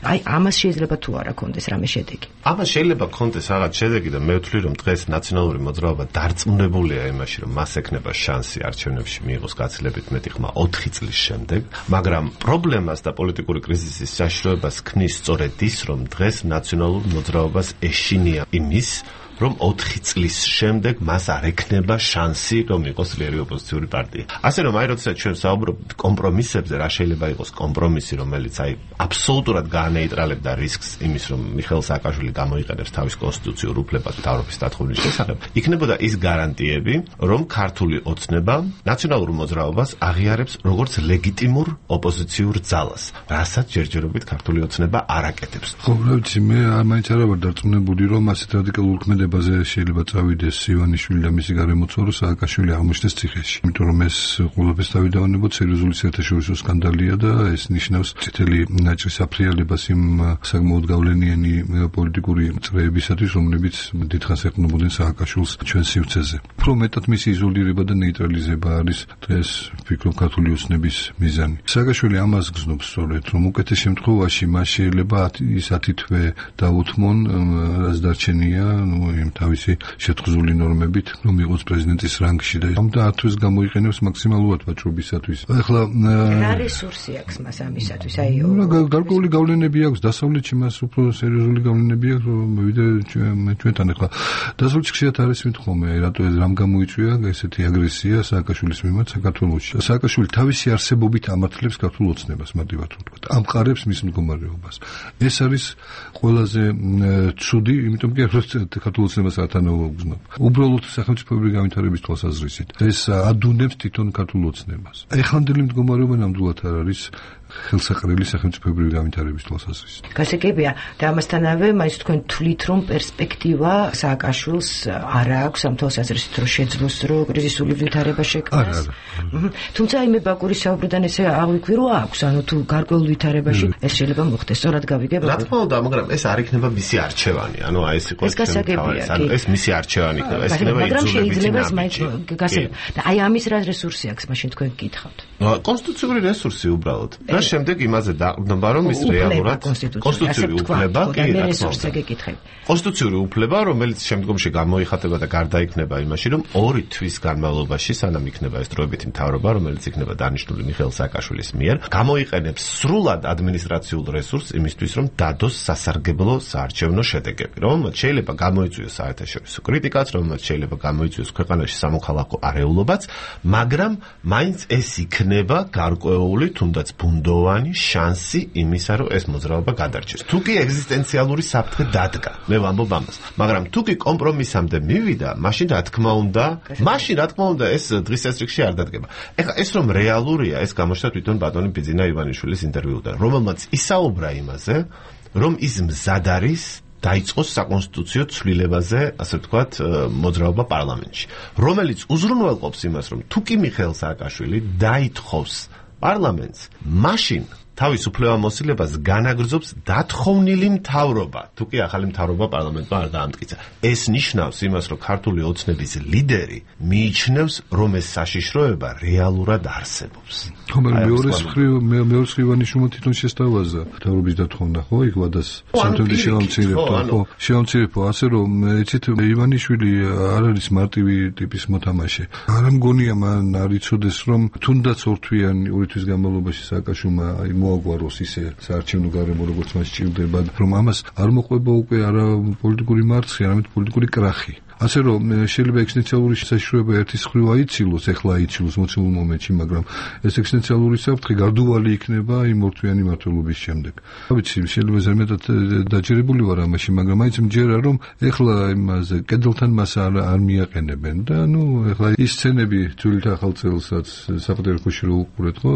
აი ამას შეიძლება თუ არა კონდეს რამე შედეგი. ამას შეიძლება კონდეს რაღაც შედეგი და მე ვთვლი, რომ დღეს ნაციონალური მოძრაობა დარწმუნებულია იმაში, რომ მას ექნება შანსი არჩევნებში მიიღოს გაცილებით მეტი ხმა ოთხი წლის შემდეგ, მაგრამ პრობლემას და პოლიტიკური კრიზისის საშიშროებას ქმნის სწორედ ის, რომ დღეს ნაციონალურ მოძრაობას ეშინია იმის, რომ ოთხი წლის შემდეგ მას არ ექნება შანსი, რომ იყოს ძლიერი ოპოზიციური პარტია. ასე რომ აი როდესაც ჩვენ საუბრობთ კომპრომისებზე, რა შეიძლება იყოს კომპრომისი, რომელიც აი აბსოლუტურად გაანეიტრალებდა რისკს იმის, რომ მიხეილ სააკაშვილი გამოიყენებს თავის კონსტიტუციურ უფლებას მთავრობის დათხოვნის შესახებ, იქნებოდა ის გარანტიები, რომ ქართული ოცნება ნაციონალურ მოძრაობას აღიარებს როგორც ლეგიტიმურ ოპოზიციურ ძალას, რასაც ჯერჯერობით ქართული ოცნება არ აკეთებს. ხო, ვიცი, მე მაინც არა ვარ დარწმუნებული, რომ ასეთ რადიკალურ ქმედებაზე შეიძლება წავიდეს ივანიშვილი და მისი გარემოცვალო სააკაშვილი აღმოჩნდეს ციხეში. იმიტომ რომ ეს ყველაფერს თავიდანებოთ სერიოზული საერთაშორისო სკანდალია და ეს ნიშნავს წითელი ნაჭრის აფრიალებას იმ საკმაოდ გავლენიანი პოლიტიკური წრეებისათვის, რომლებიც დიდხანს ეყნობოდნენ სააკაშვილს ჩვენ სივრცეზე. უფრო მეტად მისი იზოლირება და ნეიტრალიზება არის დღეს ვფიქრობ ქართული ოცნების მიზანი. სააკაშვილი ამას გზნობს სწორედ, რომ უკეთეს შემთხვევაში მას შეიძლება ის ათი თვე დაუთმონ, რაც დარჩენია, ნუ იმ თავისი შეთხზული ნორმებით, რომ იყოს პრეზიდენტის რანგში და ამ და ათვეს გამოიყენებს მაქსიმალურად ვაჭრობისათვის. ახლა რა რესურსი აქვს მას ამისათვის? აი გარკვეული გავლენები აქვს დასავლეთში, მას უფრო სერიოზული გავლენები აქვს, ვიდრე ჩვენთან. ახლა დასავლეთში ხშირად არის მithome, რატო ეს რამ გამოიწვია ესეთი აგრესია სააკაშვილის მიმართ საქართველოში. სააკაშვილი თავისი არსებობით ამართლებს ქართულ ოცნებას, მადივართ ვთქვათ, ამყარებს მის მდგომარეობას. ეს არის ყველაზე ცუდი, იმიტომ კი ქართულ ოცნებას ათანაურებობ. უბრალოდ სახელმწიფოებრივი განვითარების თვალსაზრისით ეს ადუნებს თვითონ ქართულ ოცნებას. ეხანდელი მდგომარეობა ნამდვილად არ არის ხელსაყრელი სახელმწიფოებრივი განვითარების თვალსაზრისით. გასაგებია და ამასთანავე მაინც თქვენ თვლით, რომ პერსპექტივა სააკაშვილს არ აქვს ამ თვალსაზრისით, რომ შეძლოს რომ კრიზისული ვითარება შექმნას. თუმცა იმე ბაკურის საუბრიდან ესე აღვიქვი, რომ აქვს, ანუ თუ გარკვეულ ვითარებაში ეს შეიძლება მოხდეს, სწორად გავიგებ. რა თქმა უნდა, მაგრამ ეს არ იქნება მისი არჩევანი, ანუ აი ეს იყო ეს ეს მისი არჩევანი იქნება, ეს იქნება იძულების ნაბიჯი. და აი ამის რა რესურსი აქვს, მაშინ თქვენ გითხავთ. კონსტიტუციური რესურსი უბრალოდ. და შემდეგ იმაზე დაყრდნობა, რომ ის რეალურად კონსტიტუციური უფლება, კი, რა თქმა უნდა. კონსტიტუციური უფლება, რომელიც შემდგომში გამოიხატება და გარდაიქმნება იმაში, რომ ორი თვის განმავლობაში, სანამ იქნება ეს დროებითი მთავრობა, რომელიც იქნება დანიშნული მიხეილ სააკაშვილის მიერ, გამოიყენებს სრულად ადმინისტრაციულ რესურსს იმისთვის, რომ დადოს სასარგებლო საარჩევნო შედეგები, რომელმაც შეიძლება გამოიწვიოს საერთაშორისო კრიტიკაც, რომელმაც შეიძლება გამოიწვიოს ქვეყანაში სამოქალაქო არეულობაც, მაგრამ მაინც ეს იქნება გარკვეული, თუნდაც ბუნდოვანი შანსი იმისა, რომ ეს მოძრაობა გადარჩეს. თუ კი ეგზისტენციალური საფრთხე დადგა, მე ვამბობ ამას, მაგრამ თუ კი კომპრომისამდე მივიდა, მაშინ რა თქმა უნდა, მაშინ რა თქმა უნდა ეს დღის წესრიგში არ დადგება. ეხლა ეს რომ რეალურია, ეს გამოჩნდა თვითონ ბატონი ბიძინა ივანიშვილის ინტერვიუდან, რომელმაც ისაუბრა იმაზე, რომ ის მზად არის დაიწყოს საკონსტიტუციო ცვლილებაზე, ასე ვთქვათ, მოძრაობა პარლამენტში, რომელიც უზრუნველყოფს იმას, რომ თუ კი მიხეილ სააკაშვილი დაითხოვს პარლამენტს, მაშინ თავის უფლებამოსილებას განაგრძობს დათხოვნილი მთავრობა, თუ კი ახალი მთავრობა პარლამენტმა არ დაამტკიცა. ეს ნიშნავს იმას, რომ ქართული ოცნების ლიდერი მიიჩნევს, რომ ეს საშიშროება რეალურად არსებობს. ხომ მეორე მხრივ მეორე მხრივ ივანიშვილმა თვითონ შესთავაზა მთავრობის დათხოვნა, ხო, იქ ვადას სამთველი შეამცირებდა, ხო, შეამცირებდა, ასე რომ ეცით ივანიშვილი არ არის მარტივი ტიპის მოთამაშე. არ მგონია მან არ იცოდეს, რომ თუნდაც ორთვიანი ორი თვის განმავლობაში სააკაშვილმა აი მოაგვაროს ისე საარჩევნო გარემო, როგორც მას სჭირდება, რომ ამას არ მოყვება უკვე არა პოლიტიკური მარცხი, არამედ პოლიტიკური კრახი. ასე რომ შეიძლება ეგზისტენციალური საშიშროება ერთის მხრივ აიცილოს, ეხლა აიცილოს მოცემულ მომენტში, მაგრამ ეს ეგზისტენციალური საფრთხე გარდუვალი იქნება იმ ორთვიანი მმართველობის შემდეგ. ვიცი, შეიძლება ზემეთად დაჯერებული ვარ ამაში, მაგრამ მაინც მჯერა, რომ ეხლა იმაზე კედელთან მას არ არ მიაყენებენ და ნუ ეხლა ის სცენები ძველი ახალ წელსაც საპატრიარქოში რო უყურეთ, ხო,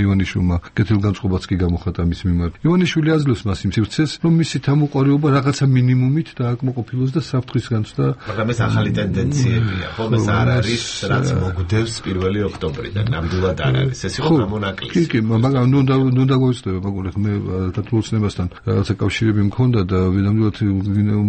ივანიშვილმა კეთილგანწყობაც კი გამოხატა მის მიმართ. ივანიშვილი აძლევს მას იმ სივრცეს, რომ მისი თამოყარეობა რაღაცა მინიმუმით დააკმაყოფილოს და საფრთხის განცდა ეს ახალი ტენდენციებია, ხომ ეს არ არის, რაც მოგვდევს პირველი ოქტომბრიდან, ნამდვილად არ არის. ეს იყო გამონაკლისი. კი, კი, მაგრამ ნუ ნუ დაგვეცდება, მაგალითად მე თათულოცნებასთან რაღაცა კავშირები მქონდა და ნამდვილად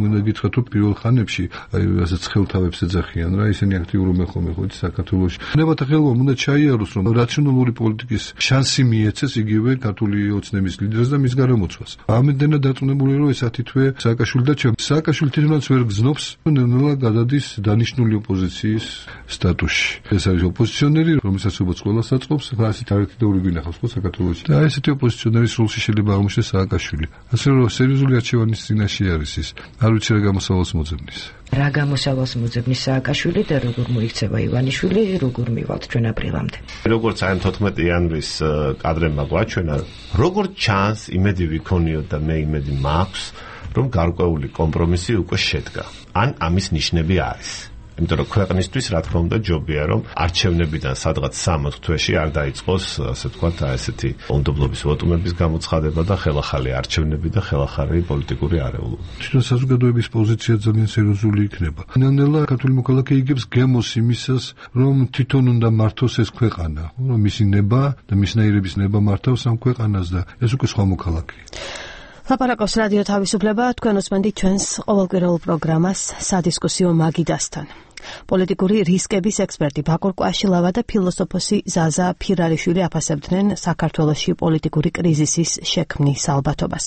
უნდა გითხრათ, რომ პირველ ხანებში აი ასე ცხელთავებს ეძახიან რა, ისინი აქტიურობენ ხოლმე ხო საქართველოში. ნებათა ხელმომ უნდა ჩაიაროს, რომ რაციონალური პოლიტიკის შანსი მიეცეს იგივე ქართული ოცნების ლიდერს და მის გარემოცვას. ამდენად დარწმუნებული რომ ესა თითქოს სააკაშვილი და ჩემ სააკაშვილი თვითონაც ვერ გზნობს, ნელა დადის დანიშნული ოპოზიციის სტატუსში. ეს არის ოპოზიციონერი, რომელსაც უბრალოდ ყველა საწყობს, ხა ასეთ არითი და ორი გვინახავს ხო საქართველოში. და ესეთი ოპოზიციონერის როლში შეიძლება აღმოჩნდეს სააკაშვილი. ასე რომ სერიოზული არჩევანის წინაშე არის ის. არ ვიცი რა გამოსავალს მოძებნის. რა გამოსავალს მოძებნის სააკაშვილი და როგორ მოიქცევა ივანიშვილი, როგორ მივალთ ჩვენ აპრილამდე. როგორც აი თოთხმეტი იანვრის კადრებმა გვაჩვენა, როგორც ჩანს, იმედი ვიქონიოთ და მე იმედი მაქვს, რომ გარკვეული კომპრომისი უკვე შედგა. ან ამის ნიშნები არის. იმიტომ რომ ქვეყნისთვის რა თქმა უნდა ჯობია რომ არჩევნებიდან სადღაც სამოთხ თვეში არ დაიწყოს, ასე ვთქვათ, ესეთი უნდობლობის ვოტუმების გამოცხადება და ხელახალი არჩევნები და ხელახალი პოლიტიკური არეულობა. თვითონ საზოგადოების პოზიცია ძალიან სერიოზული იქნება. ნელ-ნელა ქართული მოქალაქე იგებს გემოს იმისას, რომ თვითონ უნდა მართოს ეს ქვეყანა, რომ მისი ნება და მისნაირების ნება მართავს ამ ქვეყანას და ეს უკვე სხვა მოქალაქეა. ლაპარაკობს რადიო თავისუფლება, თქვენ უსმენთ ჩვენს ყოველკვირეულ პროგრამას სადისკუსიო მაგიდასთან. პოლიტიკური რისკების ექსპერტი ბაკურ კვაშილავა და ფილოსოფოსი ზაზა ფირარიშვილი აფასებდნენ საქართველოში პოლიტიკური კრიზისის შექმნის ალბათობას.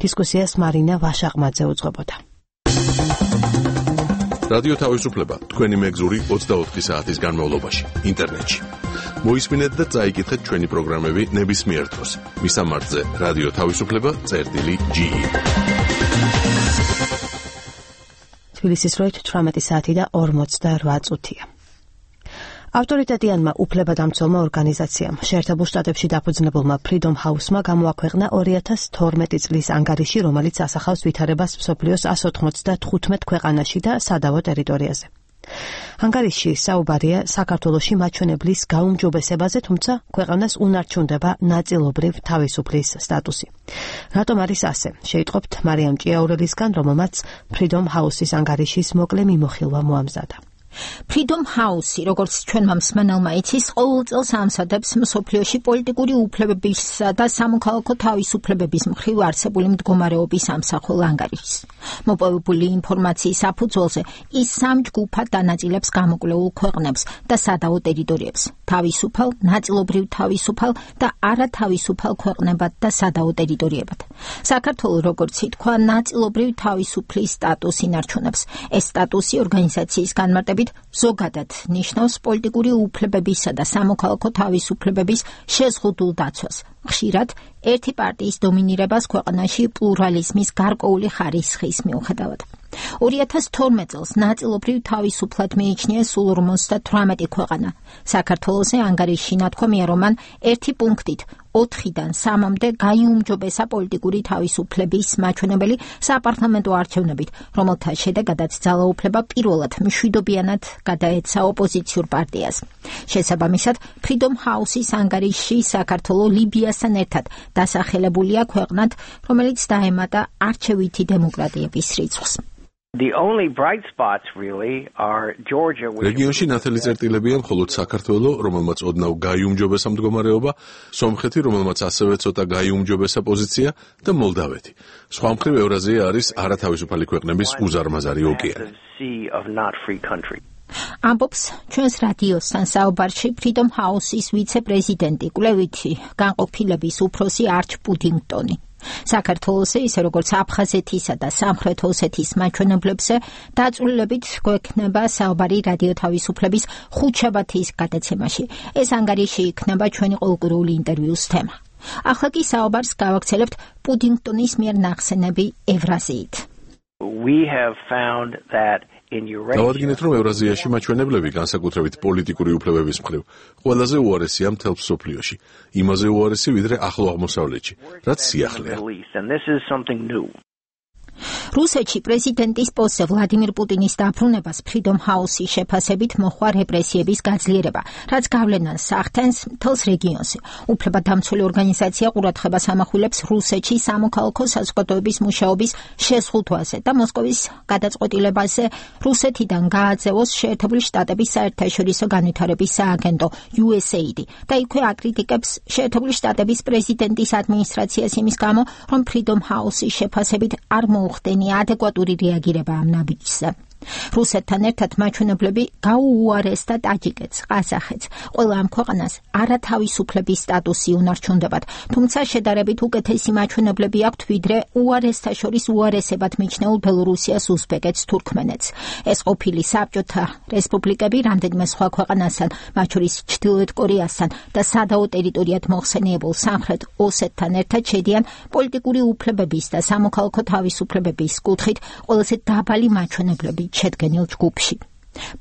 დისკუსიას მარინა ვაშაყმაძე უძღვებოდა. რადიო თავისუფლება თქვენი მეგზური ოცდაოთხი საათის განმავლობაში ინტერნეტში. მოისმინეთ და წაიკითხეთ ჩვენი პროგრამები ნებისმიერ დროს. მისამართზე რადიო თავისუფლება წერტილი ჯი. თბილისის დროით თვრამეტი საათი და ორმოცდაოთხ წუთია. ავტორიტეტიანმა უფლებადამცველმა ორგანიზაციამ შეერთებულ შტატებში დაფუძნებულმა Freedom House-მა გამოაქვეყნა ორი ათას თორმეტი წლის ანგარიში, რომელიც ასახავს ვითარებას მსოფლიოს εκατს ოცდათხუთმეტ ქვეყანაში და სადავო ტერიტორიაზე. ანგარიშში საუბარია საქართველოში მაჩვენებლის გაუმჯობესებაზე, თუმცა ქვეყანას უნარჩუნდება ნაწილობრივ თავისუფლის სტატუსი. რატომ არის ასე? შეიტყობთ მარიამ ჭიაურელისგან, რომელმაც Freedom House-ის ანგარიშის მოკლე მიმოხილვა მოამზადა. Freedom House, როგორც ჩვენმა მსმენელმა იცის, ყოველ წელს ამსადებს მსოფლიოში პოლიტიკური უფლებებისა და სამოქალაქო თავისუფლებების მხრივ არსებული მდგომარეობის ამსახველ ანგარიშს. მოპოვებული ინფორმაციის საფუძველზე ის სამ ჯგუფად დანაწილებს გამოკვლეულ ქვეყნებს და სადავო ტერიტორიებს: თავისუფალ, ნაწილობრივ თავისუფალ და არათავისუფალ ქვეყნებად და სადავო ტერიტორიებად. საქართველოს, როგორც ითქვა, ნაწილობრივ თავისუფლის სტატუსი ინარჩუნებს. ეს სტატუსი ორგანიზაციის განმარტებით ზოგადად ნიშნავს პოლიტიკური უფლებებისა და სამოქალაქო თავისუფლებების შეზღუდულ დაცვას. ხშირად ერთი პარტიის დომინირებას ქვეყანაში პლურალიზმის გარკვეული ხარისხის მიუხედავად. ორი ათას თორმეტ წელს ნაწილობრივ თავისუფლად მიიჩნია სულ ორმოცდათვრამეტი ქვეყანა. საქართველოსზე ანგარიშში ნათქვამია, რომ მან ერთი პუნქტით ოთხიდან სამამდე გაიუმჯობესა პოლიტიკური თავისუფლების მაჩვენებელი საპარლამენტო არჩევნებით, რომელთა შედეგადაც ძალაუფლება პირველად მშვიდობიანად გადაეცა ოპოზიციურ პარტიას. შესაბამისად, Freedom House-ის ანგარიშში საქართველო ლიბიასთან ერთად დასახელებულია ქვეყნად, რომელიც დაემატა არჩევითი დემოკრატიების რიცხვს. The only bright spots really are Georgia, which რეგიონში ნათელი წერტილებია მხოლოდ საქართველოს, რომელმაც ოდნავ გაიუმჯობესა მდგომარეობა, სომხეთი, რომელმაც ასევე ცოტა გაიუმჯობესა პოზიცია და მოლდავეთი. სხვა მხრივ ევრაზია არის არათავისუფალი ქვეყნების უზარმაზარი ოკეანე. ამბობს ჩვენს რადიოსთან საუბარში Freedom House-ის ვიცე-პრეზიდენტი, კვლევითი განყოფილების უფროსი არჩ პუდინგტონი. საქართველოსზე, ისე როგორც აფხაზეთისა და სამხრეთ ოსეთის მაჩვენებლებზე, დაწვრილებით გვექნება საუბარი რადიო თავისუფლების ხუთშაბათის გადაცემაში. ეს ანგარიში იქნება ჩვენი ყოველკვირეული ინტერვიუს თემა. ახლა კი საუბარს გავაგრძელებთ პუდინგტონის მიერ ნახსენები ევრაზიით. We have found that დავადგინეთ, რომ ევრაზიაში მაჩვენებლები, განსაკუთრებით პოლიტიკური უფლებების მხრივ, ყველაზე უარესია მთელ მსოფლიოში. იმაზე უარესი, ვიდრე ახლო აღმოსავლეთში, რაც სიახლეა. რუსეთში პრეზიდენტის პოსტზე ვლადიმირ პუტინის დაბრუნებას Freedom House-ის შეფასებით მოჰყვა რეპრესიების გაძლიერება, რაც გავლენას ახდენს მთელს რეგიონზე. უფლებადამცველი ორგანიზაცია ყურადღებას ამახვილებს რუსეთში სამოქალაქო საზოგადოების მუშაობის შეზღუდვაზე და მოსკოვის გადაწყვეტილებაზე რუსეთიდან გააძევოს შეერთებული შტატების საერთაშორისო განვითარების სააგენტო U S A I D და იქვე აკრიტიკებს შეერთებული შტატების პრეზიდენტის ადმინისტრაციას იმის გამო, რომ Freedom House-ის შეფასებით არ მოუხდენია ადეკვატური რეაგირება ამ ნაბიჯზე. რუსეთთან ერთად მაჩვენებლები გაუუარესდა ტაჯიკეთს, ყაზახეთს. ყველა ამ ქვეყანას არათავისუფლების სტატუსი უნარჩუნდებათ, თუმცა შედარებით უკეთესი მაჩვენებლები აქვთ, ვიდრე უარესთა შორის უარესებად მიჩნეულ ბელორუსიას, უზბეკეთს, თურქმენეთს. ეს ყოფილი საბჭოთა რესპუბლიკები რამდენიმე სხვა ქვეყანასთან, მათ შორის ჩრდილოეთ კორეასთან და სადავო ტერიტორიად მოხსენიებულ სამხრეთ ოსეთთან ერთად შედიან პოლიტიკური უფლებების და სამოქალაქო თავისუფლებების კუთხით ყველაზე დაბალი მაჩვენებლები შედგენილ ჯგუფში.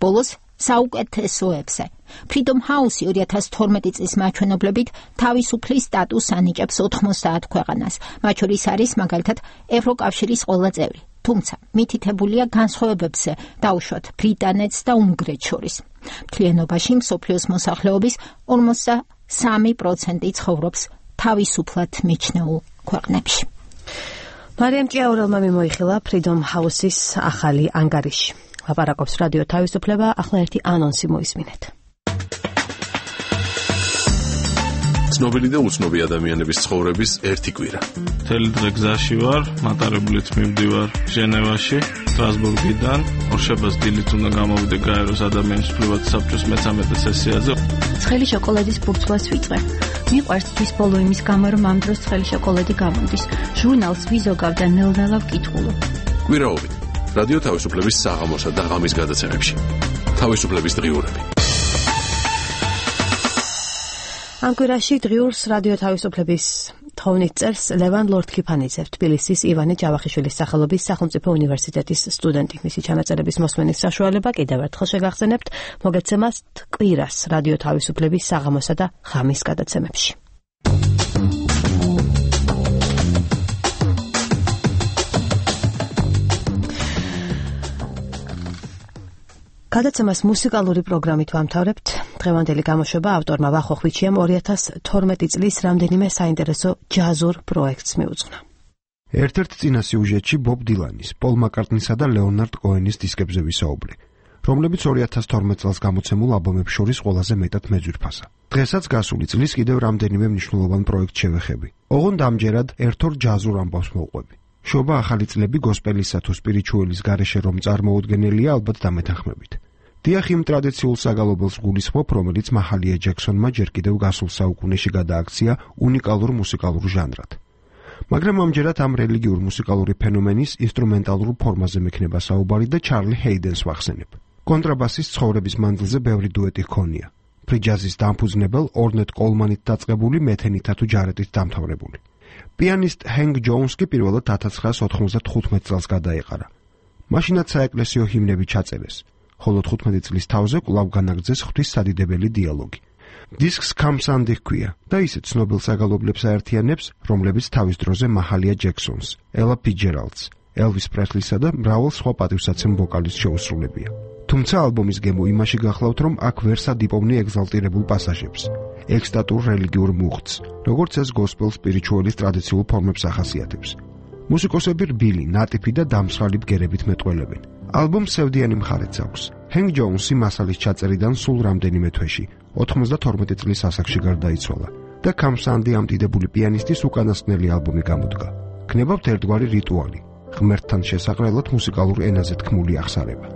ბოლოს საუკეთესოებზე Freedom House ორი ათას თორმეტი წლის მაჩვენებლებით თავისუფლის სტატუსს ანიჭებს ოთხმოცდაათ ქვეყანას, მათ შორის არის მაგალითად ევროკავშირის ყველა წევრი. თუმცა მითითებულია განსხვავებებზე დაუშვათ ბრიტანეთს და უნგრეთს შორის. მთლიანობაში მსოფლიოს მოსახლეობის ორმოცდასამი პროცენტი ცხოვრობს თავისუფლად მიჩნეულ ქვეყნებში. მარიამ ჭიაურელმა მიმოიხილა Freedom House-ის ახალი ანგარიში. ლაპარაკობს რადიო თავისუფლება, ახლა ერთი ანონსი მოისმინეთ. ცნობილი და უცნობი ადამიანების ცხოვრების ერთი კვირა. მთელი დღე გზაში ვარ, მატარებლით მივდივარ ჟენევაში, სტრასბურგიდან. ორშაბათს დილით უნდა გამოვიდე გაეროს ადამიანის უფლებათა საბჭოს მეთორმეტე სესიაზე. ცხელი შოკოლადის ბურთვას ვიწყე. მიყვარს თვის ბოლო იმის გამო, რომ ამ დროს ცხელი შოკოლადი გამოდის. ჟურნალს ვიზოგავ და ნელ-ნელა ვკითხულობ. კვირაობით რადიო თავისუფლების საღამოსა და ღამის გადაცემებში. თავისუფლების დღიურები. ამ კვირაში დღიურს რადიო თავისუფლების თხოვნით წერს ლევან ლორდ-ქიფანიძე, თბილისის ივანე ჯავახიშვილის სახელობის სახელმწიფო უნივერსიტეტის სტუდენტი. მისი ჩანაწერების მოსმენის საშუალება კიდევ ერთხელ შეგახსენებთ მოგეცემათ კვირას რადიო თავისუფლების საღამოსა და ღამის გადაცემებში. გადაცემას მუსიკალური პროგრამით ვამთავრებთ. დღევანდელი გამოშვება ავტორმა ვახო ხვიჩიამ ორი ათას თორმეტი წლის რამდენიმე საინტერესო ჯაზურ პროექტს მიუძღვნა. ერთ-ერთ წინა სიუჟეტში ბობ დილანის, პოლ მაკარტნისა და ლეონარდ კოენის დისკებზე ვისაუბრე. რომლებიც ორი ათას თორმეტ წელს გამოცემულ ალბომებს შორის ყველაზე მეტად მეძვირფასა. დღესაც გასული წლის კიდევ რამდენიმე მნიშვნელოვან პროექტს შევეხები. ოღონდ ამჯერად ერთ-ორ ჯაზურ ამბავს მოვყვები. შობა ახალი წლები გოსპელისა თუ სპირიჩუელის გარეშე რომ წარმოუდგენელია, ალბათ დამეთანხმებით. დიახ, იმ ტრადიციულ საგალობელს გულისხმობ, რომელიც მაჰალია ჯექსონმა ჯერ კიდევ გასულ საუკუნეში გადააქცია უნიკალურ მუსიკალურ ჟანრად. მაგრამ ამჯერად ამ რელიგიურ მუსიკალური ფენომენის ინსტრუმენტალურ ფორმაზე მექნება საუბარი და ჩარლი ჰეიდენს ვახსენებ. კონტრაბასის ცხოვრების მანძილზე ბევრი დუეტი ჰქონია. ფრიჯაზის დამფუძნებელ ორნეტ კოლმანით დაწყებული მეთენითა თუ ჯარეტით დამთავრებული. პიანისტ ჰენგ ჯოუნს კი პირველად ათას ცხრაას ოთხმოცდათხუთმეტ წელს გადაეყარა. მაშინაც საეკლესიო ჰიმნები ჩაწერეს, ხოლო თხუთმეტი წლის თავზე კვლავ განაგრძეს ღვთის სადიდებელი დიალოგი. დისკს კამსანდი ჰქვია და ისეთ ცნობილ საგალობლებს აერთიანებს, რომლებიც თავის დროზე მაჰალია ჯექსონს, ელა ფიჯერალდს, ელვის პრესლისა და მრავალ სხვა პატივსაცემ ვოკალისტს შეუსრულებია. თუმცა ალბომის გემო იმაში გახლავთ, რომ აქ ვერ სადიპოვნი ეგზალტირებულ პასაჟებს, ექსტატურ რელიგიურ მუხტს, როგორც ეს გოსპელ სპირიჩუელის ტრადიციულ ფორმებს ახასიათებს. მუსიკოსები რბილი, ნატიფი და დამსხალი ბგერებით მეტყველებენ. ალბომს სევდიანი მხარეც აქვს. ჰენგ ჯოუნსი მასალის ჩაწერიდან სულ რამდენიმე თვეში, ოთხმოცდათორმეტი წლის ასაკში გარდაიცვალა და კამსანდი ამ დიდებული პიანისტის უკანასკნელი ალბომი გამოდგა. ქნებავთ ერთგვარი რიტუალი, ღმერთთან შესაყრელად მუსიკალურ ენაზე თქმული აღსარება.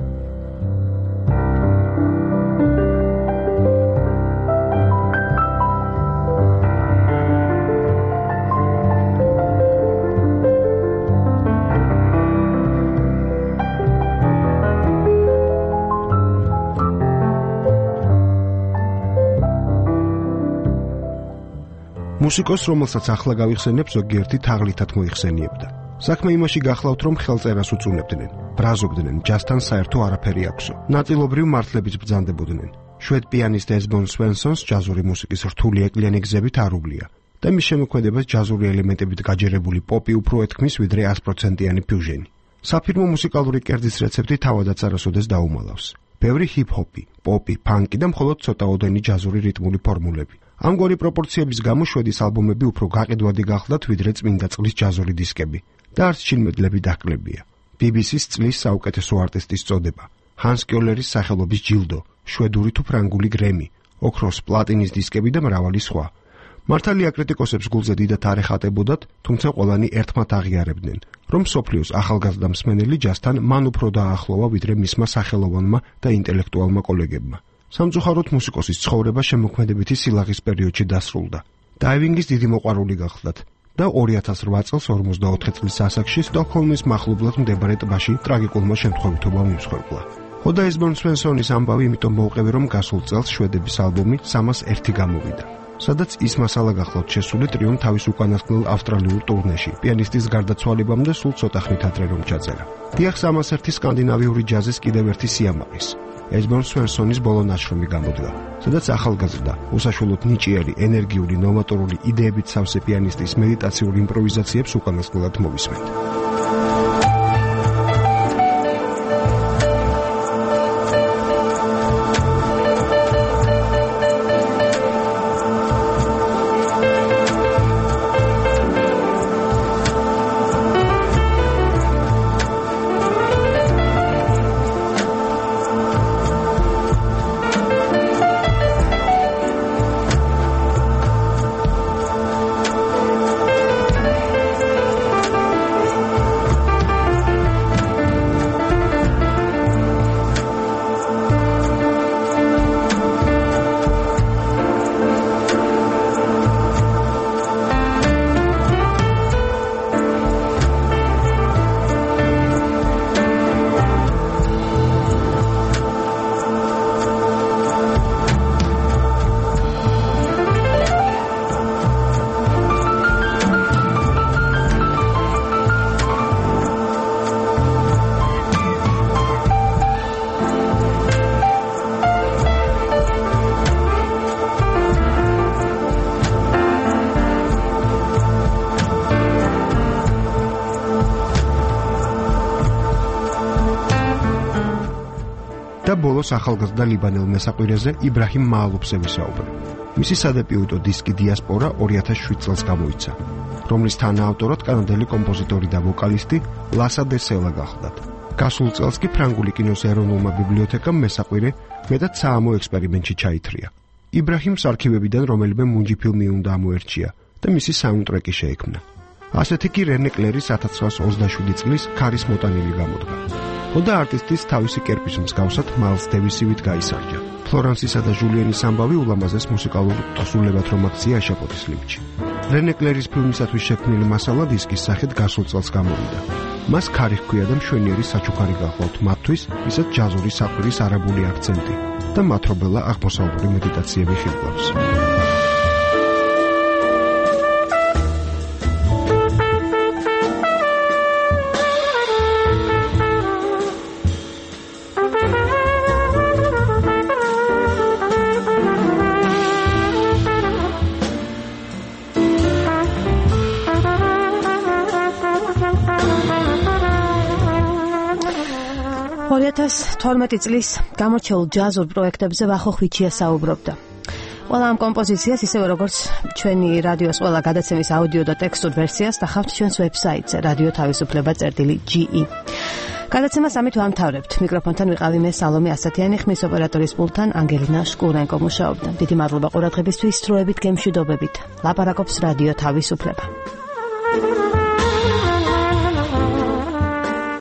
მუსიკოს, რომელსაც ახლა გავიხსენებ, ზოგიერთი თაღლითად მოიხსენიებდა. საქმე იმაში გახლავთ, რომ ხელწერას უწუნებდნენ, ბრაზობდნენ, ჯაზთან საერთო არაფერი აქვსო. ნაწილობრივ მართლებით ბრძანდებოდნენ. შვედ პიანისტ ესბონ სვენსონს ჯაზური მუსიკის რთული ეკლიანი გზებით არ უვლია და მის შემოქმედებას ჯაზური ელემენტებით გაჯერებული პოპი უფრო ეთქმის, ვიდრე ას პროცენტიანი ფიუჟენი. საფირმო მუსიკალური კერძის რეცეპტი თავადაც არასოდეს დაუმალავს. ბევრი ჰიპ-ჰოპი, პოპი, ფანკი და მხოლოდ ცოტაოდენი ჯაზური რიტმული ფორმულები. ამგვარი პროპორციების გამო შვედის ალბომები უფრო გაყიდვადი გახლდათ, ვიდრე წმინდა წყლის ჯაზური დისკები და არც ჩინმედლები დაყლებია. ბი ბი სის წლის საუკეთესო არტისტის წოდება, ჰანს კიოლერის სახელობის ჯილდო, შვედური თუ ფრანგული გრემი, ოქროს, პლატინის დისკები და მრავალი სხვა. მართალია კრიტიკოსებს გულზე დიდად არ ეხატებოდათ, თუმცა ყველანი ერთმად აღიარებდნენ, რომ მსოფლიოს ახალგაზრდა მსმენელი ჯაზთან მან უფრო დაახლოვა, ვიდრე მისმა სახელოვანმა და ინტელექტუალმა კოლეგებმა. სამწუხაროდ მუსიკოსის ცხოვრება შემოქმედებითი სილაღის პერიოდში დასრულდა. დაივინგის დიდი მოყვარული გახლდათ და ორი ათას რვა წელს ორმოცდაოთხი წლის ასაკში სტოკჰოლმის მახლობლად მდებარე ტბაში ტრაგიკულმა შემთხვევითობამ იმსხვერპლა. ხოდა ესბონ სვენსონის ამბავი იმიტომ მოვყევი, რომ გასულ წელს შვედების ალბომი სამას ერთი გამოვიდა, სადაც ის მასალა გახლავთ შესული ტრიომ თავის უკანასკნელ ავსტრალიურ ტურნეში, პიანისტის გარდაცვალებამდე სულ ცოტა ხნით ადრე რომ ჩაწერა. დიახ, სამას ერთი სკანდინავიური ჯაზის კიდევ ერთი სიამაყის. ესბონ სვენსონის ბოლო ნაშრომი გამოდგა, სადაც ახალგაზრდა, უსაშველოდ ნიჭიერი, ენერგიული, ნოვატორული იდეებით სავსე პიანისტის მედიტაციურ იმპროვიზაციებს უკანასკნელად მოვისმენთ. და ბოლოს ახალგაზრდა ლიბანელ მესაყვირეზე იბრაჰიმ მაალუფზე ვისაუბრე. მისი სადებიუტო დისკი დიასპორა ორი ათას შვიდ წელს გამოიცა, რომლის თანაავტორად კანადელი კომპოზიტორი და ვოკალისტი ლასა დე სელა გახლდათ. გასულ წელს კი ფრანგული კინოს ეროვნულმა ბიბლიოთეკამ მესაყვირე მეტად საამო ექსპერიმენტში ჩაითრია. იბრაჰიმს არქივებიდან რომელიმე მუნჯი ფილმი უნდა ამოერჩია და მისი საუნდტრეკი შეექმნა. ასეთი კი რენე კლერის ათას ცხრაასი ოცდაშვიდი წლის ქარის მოტანილი გამოდგა. ხოდა არტისტის თავისი კერპის მსგავსად მაილს დევისივით გაისარჯა. ფლორანსისა და ჟულიანის ამბავი ულამაზეს მუსიკალურ ტოსულებად რომ აქცია აშაპოთის ლიფტში. რენე კლერის ფილმისათვის შექმნილი მასალა დისკის სახით გასულ წელს გამოვიდა. მას ქარი ჰქვია და მშვენიერი საჩუქარი გახლავთ მათთვის, ვისაც ჯაზური საყვირის არაბული აქცენტი და მათრობელა აღმოსავლური მედიტაციები ხიბლავს. ორი ათას თორმეტი წლის გამორჩეულ ჯაზურ პროექტებზე ვახო ხვიჩია საუბრობდა. ყველა ამ კომპოზიციას ისევე როგორც ჩვენი რადიოს ყველა გადაცემის აუდიო და ტექსტურ ვერსიას დახავთ ჩვენს ვებსაიტზე რადიო თავისუფლება წერტილი ჯი ი. გადაცემას ამით ვამთავრებთ. მიკროფონთან ვიყავი მე სალომე ასათიანი, ხმის ოპერატორის პულტთან ანგელინა შკურენკო მუშაობდა. დიდი მადლობა ყურადღებისთვის, სრულებით გემშვიდობებით. ლაპარაკობს რადიო თავისუფლება.